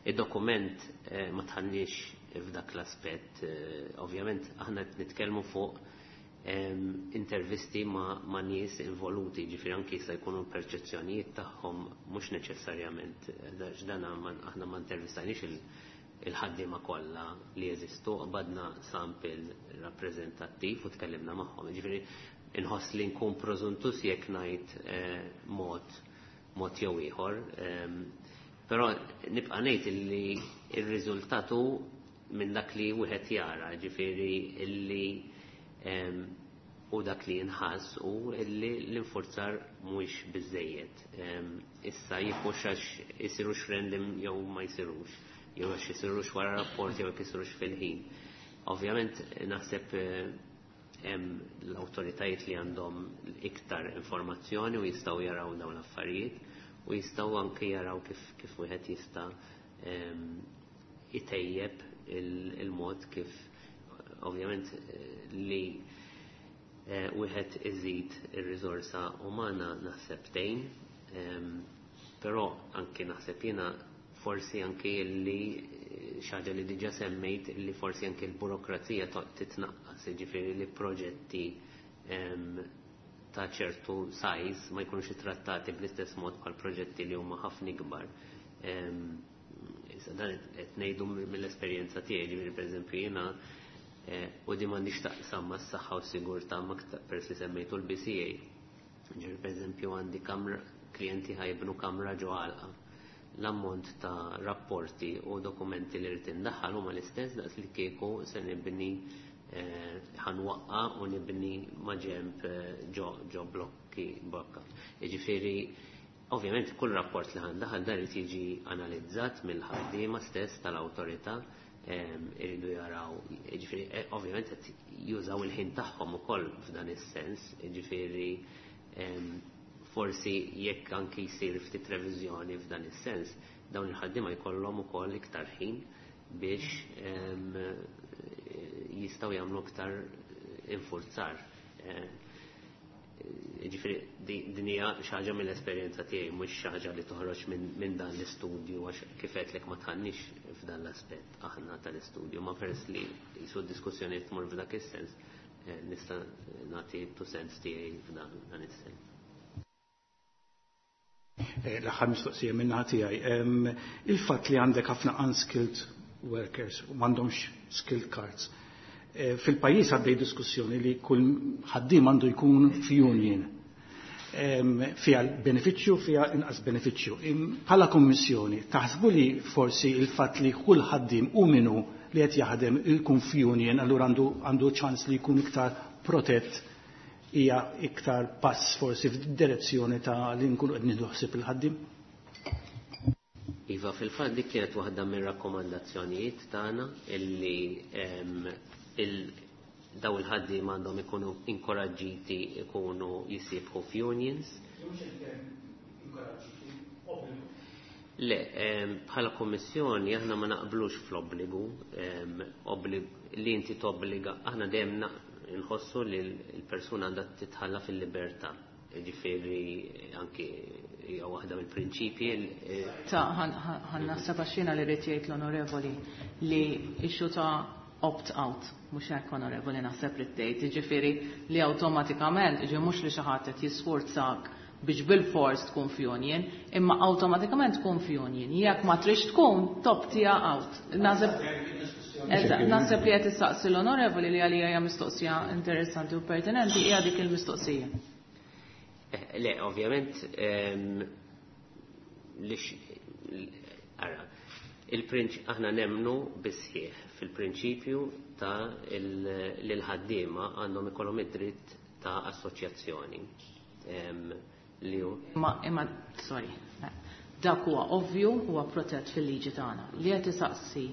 il-dokument ma tħallniex f'dak l-aspett. Ovvjament aħna qed nitkellmu fuq intervisti ma' nies involuti, ġifieri anki jista' jkunu perċezzjonijiet tagħhom mhux neċessarjament, x'dan aħna ma intervistajniex il-ħaddiema kollha li jeżistu, qbadna sample rappreżentattiv u tkellimna magħhom. Ġifieri inħoss li nkun preżuntus jekk ngħid mod jew ieħor, però nibqa' ngħid illi r-riżultat hu minn dak li wieħed jara, ġifieri illi u dak li jinħass u illi l-infurzar mhuwiex biżejjed. Issa jifux għax isirux random jew ma jsirux, jew għax isirux wara rapport jew jekk isirux fil-ħin. Ovvjament naħseb hemm l-awtoritajiet li għandhom iktar informazzjoni u jistgħu jaraw dawn l-affarijiet u jistgħu anke jaraw kif wieħed jista' itejjeb il-mod kif ovvjament li wieħed iżid ir-riżorsa umana naħseb tgħin, però anke naħseb jiena forsi anke li xi ħaġa li diġà semmejt li forsi anke l-burokrazija titnaqqas, jiġifieri li proġetti ta' ċertu size ma jkunux ittrattati bl-istess mod bħal proġetti li huma ħafna ikbar. Issa dan qed ngħidu mill-esperjenza tiegħi, ġifieri pereżempju jiena u di m'għandix taqsam mas-saħħa u s-sigurtà ma peress li semmejtu l-BCA. Ġifieri pereżempju għandi kamra klijenti ħajbnu kamra ġo għalqa. L-ammont ta' rapporti u dokumenti li rrid indaħħal huma l-istess daqs li kieku se nibni ħanwaqqa u nibni maġenb ġo blokki blokka. Jiġifieri ovvjament kull rapport li ħandaħal dan irid jiġi analizzat mill-ħaddiema stess tal-awtorità iridu jaraw, jiġifieri ovvjament qed jużaw il-ħin tagħhom ukoll f'dan is-sens, jiġifieri forsi jekk anki jsir ftit reviżjoni f'dan is-sens, dawn il-ħaddiema jkollhom ukoll iktar ħin biex jistgħu jagħmlu iktar infurzar. Ġifieri din hija xi ħaġa mill-esperjenza tiegħi mhux xi ħaġa li toħroġ minn dan l-istudju għax kif għedtlek ma tħannix f'dan l-aspett aħna tal-istudju, ma peress li jisu diskussjoni tmur f'dak is-sens nista' nagħti two cents tiegħi f'dan is-sens. L-aħħar mistoqsija minn naħa tiegħi. Il-fatt li għandek ħafna unskilled workers u m'għandhomx skilled cards. Fil-pajjiż għaddej diskussjoni li kull ħaddiem għandu jkun f'union. Fiha benefiċċju, fiha inqas benefiċċju. Bħala kommissjoni, taħsbu li forsi il-fatt li kull ħaddiem u minu li qed jaħdem ikun f'union, allura għandu ċans li jkun iktar protett hija iktar pass forsi f'direzzjoni ta' li nkunu qed nieħdu ħsieb il-ħaddiem? Iva, fil-fatt dik kienet waħda mir-rakkomandazzjonijiet tagħna illi daw il-ħaddiema għandhom ikunu inkoraġġiti ikunu jisibħu f'unions. Le, bħala kommissjoni aħna ma naqblux fl-obbligu, li inti tobbliga, aħna dejjem nħossu li l-persuna għandha titħalla fil-libertà. Ġifieri anki hija waħda mill-prinċipji. Ta' ħan naħseb għax jiena li rrid jgħid l-onorevoli li issue ta' opt-out, mhux hekk onorevoli naħseb li tgħid, jiġifieri li awtomatikament, jiġifieri mhux li xi ħadd qed jisforzak biex bil-fors tkun f'union, imma awtomatikament tkun f'union. Jekk ma trix tkun, toptija out. Naħseb li qed issaqsi l-onorevoli li għalija hija mistoqsija interessanti u pertinenti hija dik il-mistoqsija. Le, ovvjament, ara, aħna nemnu bisħieħ fil-prinċipju ta' li l-ħaddiema għandhom ikollhom id-dritt ta' assoċjazzjoni. Li hu Imma, sorry, dak huwa ovvju huwa protett fil-liġi tagħna. Li qed isaqsi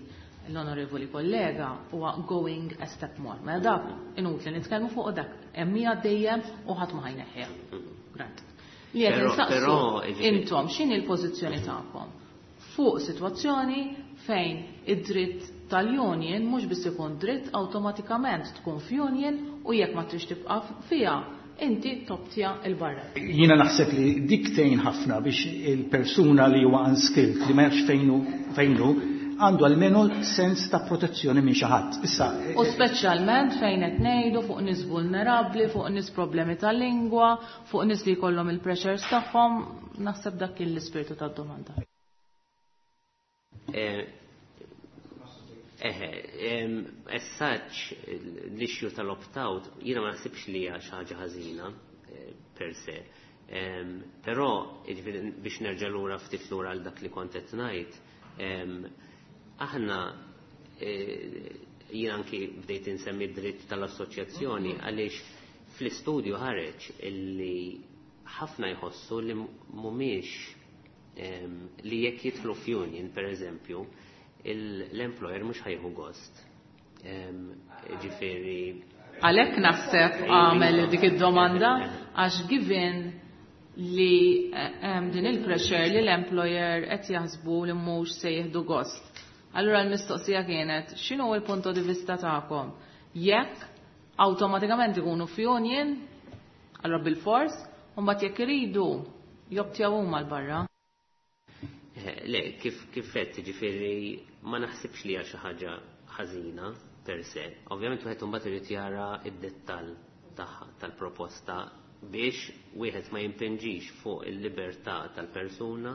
l-onorevoli kollega huwa going a step more. Mela dak inutli nitkellmu fuq dak hemm hija dejjem u ħadd ma ħajneħħiha. Grant. Li qed insaqsu intom x'inhi l-pożizzjoni tagħkom fuq sitwazzjoni fejn id-dritt tal-union mhux biss ikun dritt awtomatikament tkun f'union u jekk ma trix tibqa' fiha inti toptja il-barra. Jiena naħseb li dik tgħin ħafna biex il-persuna li huwa unskilled li ma jafx fejnu għandu almenu sens ta' protezzjoni minn xi ħadd. Issa, U speċjalment fejn qed ngħidu fuq nies vulnerabbli, fuq nies problemi tal-lingwa, fuq nies li jkollhom il-pressures tagħhom, naħseb dak kien l-ispirtu tad-domanda. As such, l-issue tal-opt-out, jiena ma naħsibx li hija xi ħaġa ħażina per se. Però, jiġifieri, biex nerġa' lura ftit lura għal dak li kont qed ngħid, aħna jien anki bdejt insemmi dritt tal-assoċjazzjoni għaliex fl-istudju ħareġ illi ħafna jħossu li mhumiex li jekk jidħlu f'union, per eżempju, l-employer mhux ħajħu gost. Ġifieri Għalhekk naħseb għamel dik id-domanda għax given li hemm din il-pressure li l-employer qed jaħsbu li mhux se jieħdu gost. Allura l-mistoqsija kienet x'inhu l-punto di vista tagħkom? Jekk awtomatikament ikunu f'union, allura bil-fors, u mbagħad jekk iridu joptjaw huma l-barra. Le, kif qed, ġifieri ma naħsibx li hija xi ħaġa ħażina per se. Ovvjament wieħed imbagħad irid jara id-dettall tagħha tal-proposta biex wieħed ma jimpinġix fuq il-libertà tal-persuna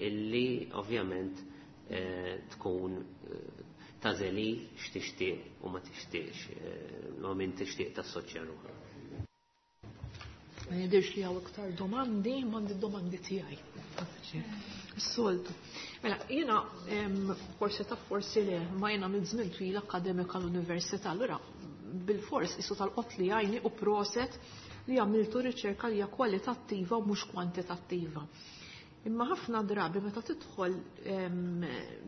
illi ovvjament tkun tagħżel hi x'tixtieq u ma tixtieqx, ma min tixtieq tassoċja ruħha. Ma jidirx li hawn iktar domandi, m'għandi domandi tiegħi. Is-soltu. Mela, jiena forsi taf forsi le, ma jiena minn żmien twil akademika l-università, allura bil-fors isu tal-qot li għajni u proset li għamiltu riċerka li hija kwalitattiva u mhux kwantitattiva. Imma ħafna drabi meta tidħol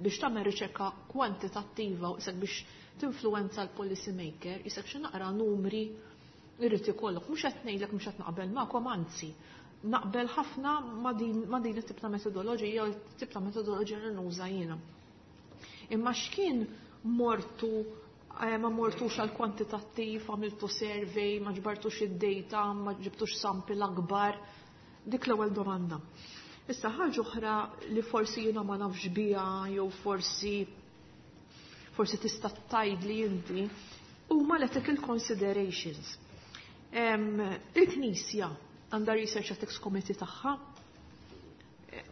biex tagħmel riċerka kwantitattiva u isek biex tinfluwenza l-policy maker, isek xi naqra numri irrid ikollok. Mhux qed ngħidlek mhux qed naqbel magħkom, anzi, naqbel ħafna ma' din it-tip ta' metodoloġija u t-tip ta' metodoloġija li nuża jiena. Imma x'kien mortu ma mortux għal kwantitattiv, għamiltu survey, ma ġbartux id-data, ma ġibtux sample akbar, dik l-ewwel domanda. Issa ħaġa oħra li forsi jiena ma nafx biha jew forsi tista' tgħidli inti huma l-ethical considerations. Il-Knisja għandha Research Ethics Committee tagħha,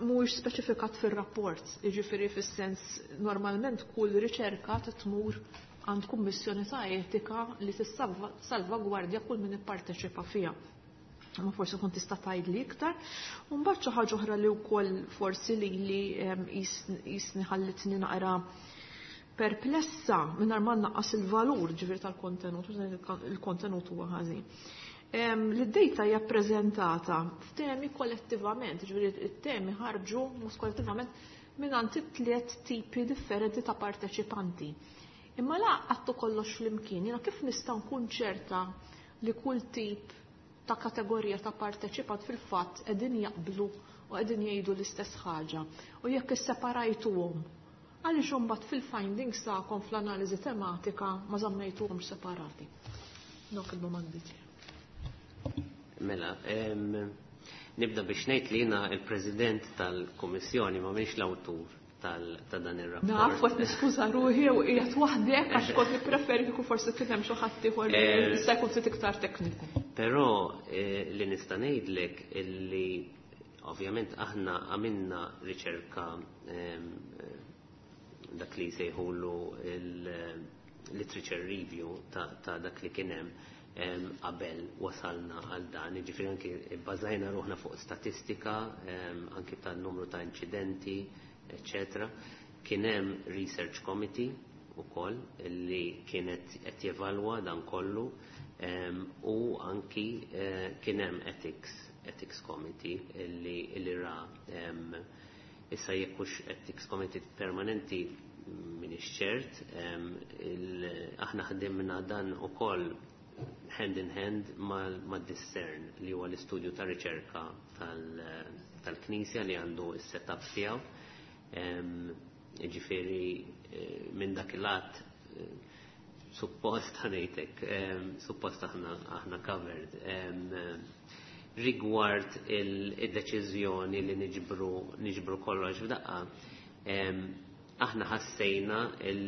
mhuwiex speċifikat fir-rapport, jiġifieri fis-sens normalment kull riċerka tmur għand kummissjoni ta' etika li tissalvagwardja kull min ipparteċipa fiha. Ma forsi kun tista' tgħidli iktar. U mbagħad xi ħaġa oħra li wkoll forsi li li jisni ħallitni naqra perplessa mingħajr ma nnaqqas il-valur ġifieri tal-kontenut, il-kontenut huwa ħażin. Li d-data hija ppreżentata f'temi kollettivament, ġifieri it-temi ħarġu mhux kollettivament minn għand tliet tipi differenti ta' parteċipanti. Imma la għattu kollox flimkien, jiena kif nista' nkun ċerta li kull tip ta' kategorija ta' parteċipant fil-fatt qegħdin jaqblu u qegħdin jgħidu l-istess ħaġa. U jekk isseparajtuhom, għaliex imbagħad fil-findings tagħkom fl-analiżi tematika ma żammejtuhomx separati? Dawk il-domandi tiegħi. Mela, nibda biex ngħid li jiena il-President tal-Kummissjoni ma minix l-awtur ta' dan ir-rapport. Naf, qed niskuża ruħi u qiegħed waħdek għax kont nippreferi kieku forsi kien hemm xi ħadd ieħor li jista' jkun ftit iktar tekniku. Però li nista' ngħidlek illi ovvjament aħna għamilna riċerka dak li jsejħulu il-literature review ta' dak li kien hemm qabel wasalna għal dan, jiġifieri anki bbażajna ruħna fuq statistika, anki tan-numru ta' inċidenti, eccetera. Kien hemm research committee ukoll li kienet qed jevalwa dan kollu u anki kien hemm ethics committee li ra issa jekk hux ethics committee permanenti minix ċert, aħna ħdimna dan ukoll hand in hand ma' Discern li huwa l-istudju ta' riċerka tal-Knisja li għandu s-setup tiegħu. Ġifieri minn dak il-lat suppost ħanejtek, suppost aħna covered. Rigward il-deċiżjoni li niġbru kollox f'daqqa, aħna ħassejna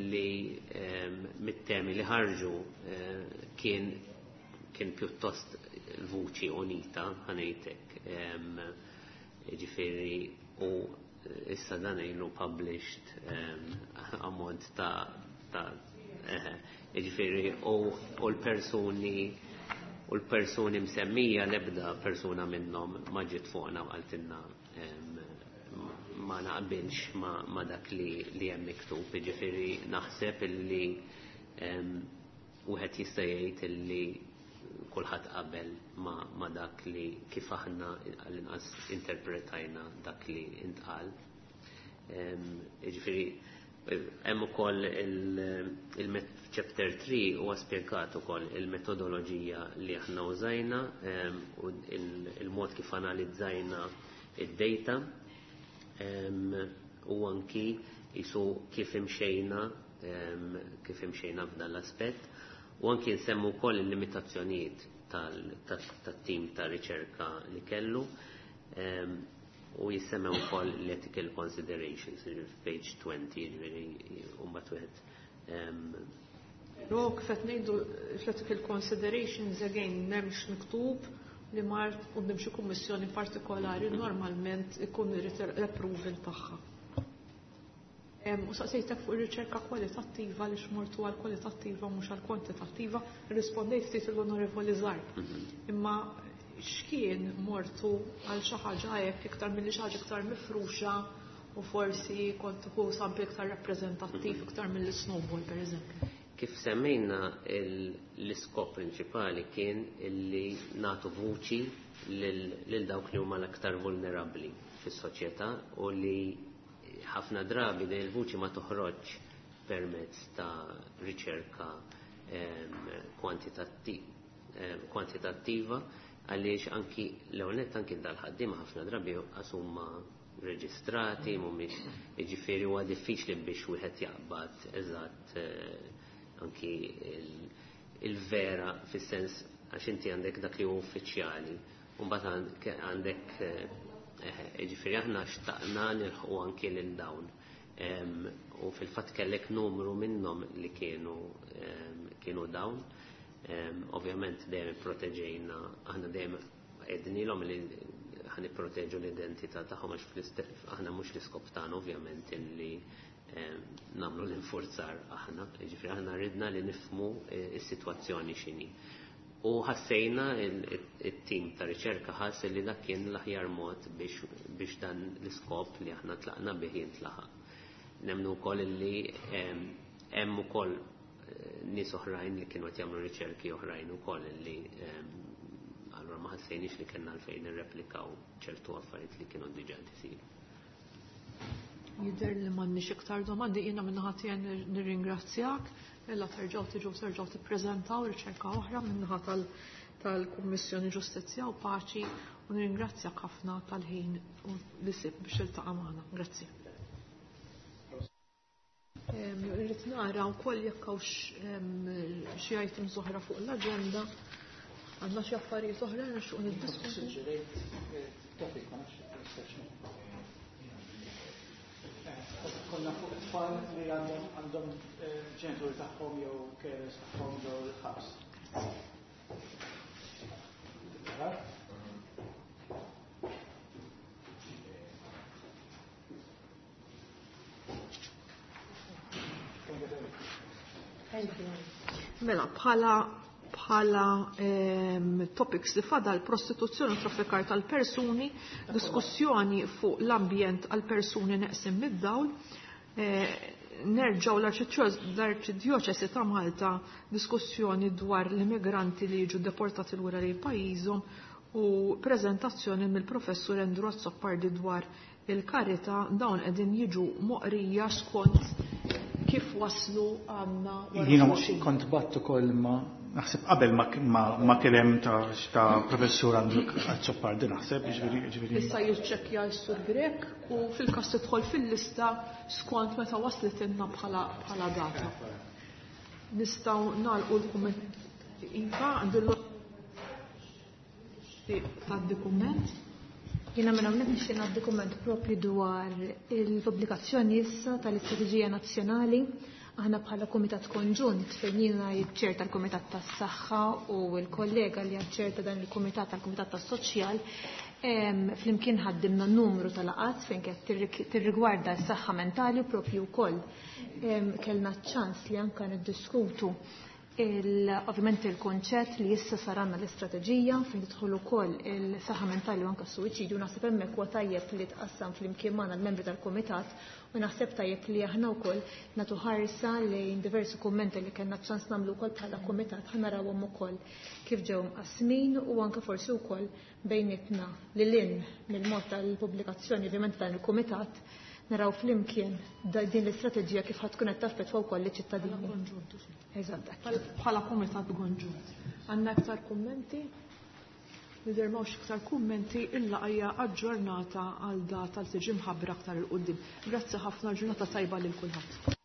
li mit-temi li ħarġu kien pjuttost vuċi unita, ħanejtek. Ġifieri u issa dan ilu published ammont ta' ġifieri u l-persuni msemmija l-ebda persuna minnhom ma ġiet fuqna u qaltilna ma naqbilx ma dak li hemm miktub, ġifieri naħseb illi wieħed jista' jgħid illi kulħadd qabel ma dak li kif aħna għall-inqas interpretajna dak li intqal. Ġifieri hemm ukoll il-chapter 3 huwa spjegat ukoll il-metodoloġija li aħna użajna u il-mod kif analizzajna id-data u anki jisu kif imxejna f'dan l-aspett u anki nsemmu wkoll il-limitazzjonijiet tat-tim ta' riċerka li kellu u jissemmew ukoll l-ethical considerations page 20, ġifieri u mbagħad wieħed Però kif qed ngħidu l-ethical considerations again m'hemmx miktub li mart quddiem xi kummissjoni partikolari normalment ikun irid l-approval tagħha. U saqsejtek fuq ir-riċerka kwalitattiva li xmortu għal kwalitattiva mhux għal kwantitattiva, rispondejt ftit l-Onorevoli Zarb. Imma x'kien mortu għal xi ħaġa hekk iktar milli xi ħaġa iktar mifruxa u forsi kont tieħu sample iktar rappreżentattiv iktar mill-snowball pereżempju. Kif semmejna l-iskop prinċipali kien illi nagħtu vuċi lil dawk li huma l-aktar vulnerabbli fis-soċjetà u li ħafna drabi din il-vuċi ma toħroġ permezz ta' riċerka kwantitattiva għaliex anki l-ewwel anki dal-ħaddiema ħafna drabi huma reġistrati, mhumiex jiġifieri huwa diffiċli biex wieħed jaqbad eżatt anki il-vera fis-sens għax inti għandek dak li huwa uffiċjali u mbagħad għandek jiġifieri aħna xtaqna nilħqu anki lil dawn. U fil-fatt kellek numru minnhom li kienu kienu dawn. Ovvjament dejjem ipproteġejna, aħna dejjem għednilhom li ħan ipproteġu l-identità tagħhom għax aħna mhux l-iskop tagħna ovvjament illi nagħmlu l-infurzar aħna, jiġifieri aħna ridna li nifhmu s-sitwazzjoni x'inhi. U ħassejna it-tim ta' riċerka ħass li dak kien l-aħjar mod biex dan l-iskop li aħna tlaqna bih jintlaħaq. Nemmnu wkoll li hemm ukoll nies oħrajn li kienu qed jagħmlu riċerki oħrajn ukoll li allura ma ħassejniex li kellna għalfejn nirreplikaw ċertu affarijiet li kienu diġà isiru. Jidher li m'għandniex iktar domandi, jiena min-naħa tiegħi nirringrazzjak. Illa terġgħu tiġu terġgħu tippreżentaw riċerka oħra min-naħa tal-Kummissjoni Ġustizzja u Paċi u nirringrazzjak ħafna tal-ħin u li sib biex iltaqa' magħna. Grazzi. Irrid nara wkoll jekk hawnx xi items oħra fuq l-aġenda. Għandna xi affarijiet oħra nixtieq niddiskutu. Konna fuq tfal li għandhom ġenituri tagħhom jew carers tagħhom ġew il-ħabs. Mela, bħala bħala topics li fadal prostituzzjoni u traffikar tal-persuni, diskussjoni fuq l-ambjent għal persuni neqsim mid-dawl, nerġaw l-Arċidjoċesi ta' Malta diskussjoni dwar l-immigranti li jiġu deportati lura lejn pajjiżhom u preżentazzjoni mill-professur Andrew Azzopardi dwar il-karità dawn qegħdin jiġu moqrija skont kif waslu għandna wara Jiena xulxin. kont batt ukoll ma naħseb qabel ma kien hemm ta' professur Andrew Azzopardi naħseb, jiġifieri. Issa jiċċekkja s-Sur Grech u fil-każ tidħol fil-lista skont meta waslet ilna bħala data. Nistgħu nagħlqu l-kumment. Iva, għandu tad-dokument. Jiena minn hawnhekk nixtieq ngħaddi kumment propju dwar il-pubblikazzjoni issa tal-Istrateġija Nazzjonali. Aħna bħala Kumitat Konġunt fejn jiena ċer tal-Kumitat tas-Saħħa u l-kollega li ċer ta' dan il-Kumitat tal-Kumitat tas-Soċjal, flimkien ħaddimna numru tal-laqgħat fejn kienet tirrigwarda s-saħħa mentali u propju wkoll. Kellna ċ-ċans li anke niddiskutu ovvjament il-konċett li issa saranna l-istrateġija fejn tidħol ukoll il-saħħa mentali u anke s-suwiċidju. Naħseb hemmhekk huwa tajjeb li tqassam flimkien magħna l-membri tal-kumitat u naħseb tajjeb li aħna wkoll nagħtu ħarsa lejn diversi kummenti li kellna ċans nagħmlu wkoll bħala kumitat, ħa narawhom ukoll kif ġew mqassmin u anke forsi wkoll bejnietna lil hinn mill-mod tal-pubblikazzjoni ovvjament dan il-kumitat naraw flimkien din l-istrateġija kif ħad tkun qed taffettwa wkoll liċ-ċittadini. Eżatt. Bħala kumitat konġunt. Għandna iktar kummenti? Nidher m'hawnx iktar kummenti illa hija aġġornata għal data li tiġi mħabbra aktar il quddiem. Grazzi ħafna, ġurnata tajba lil kulħadd.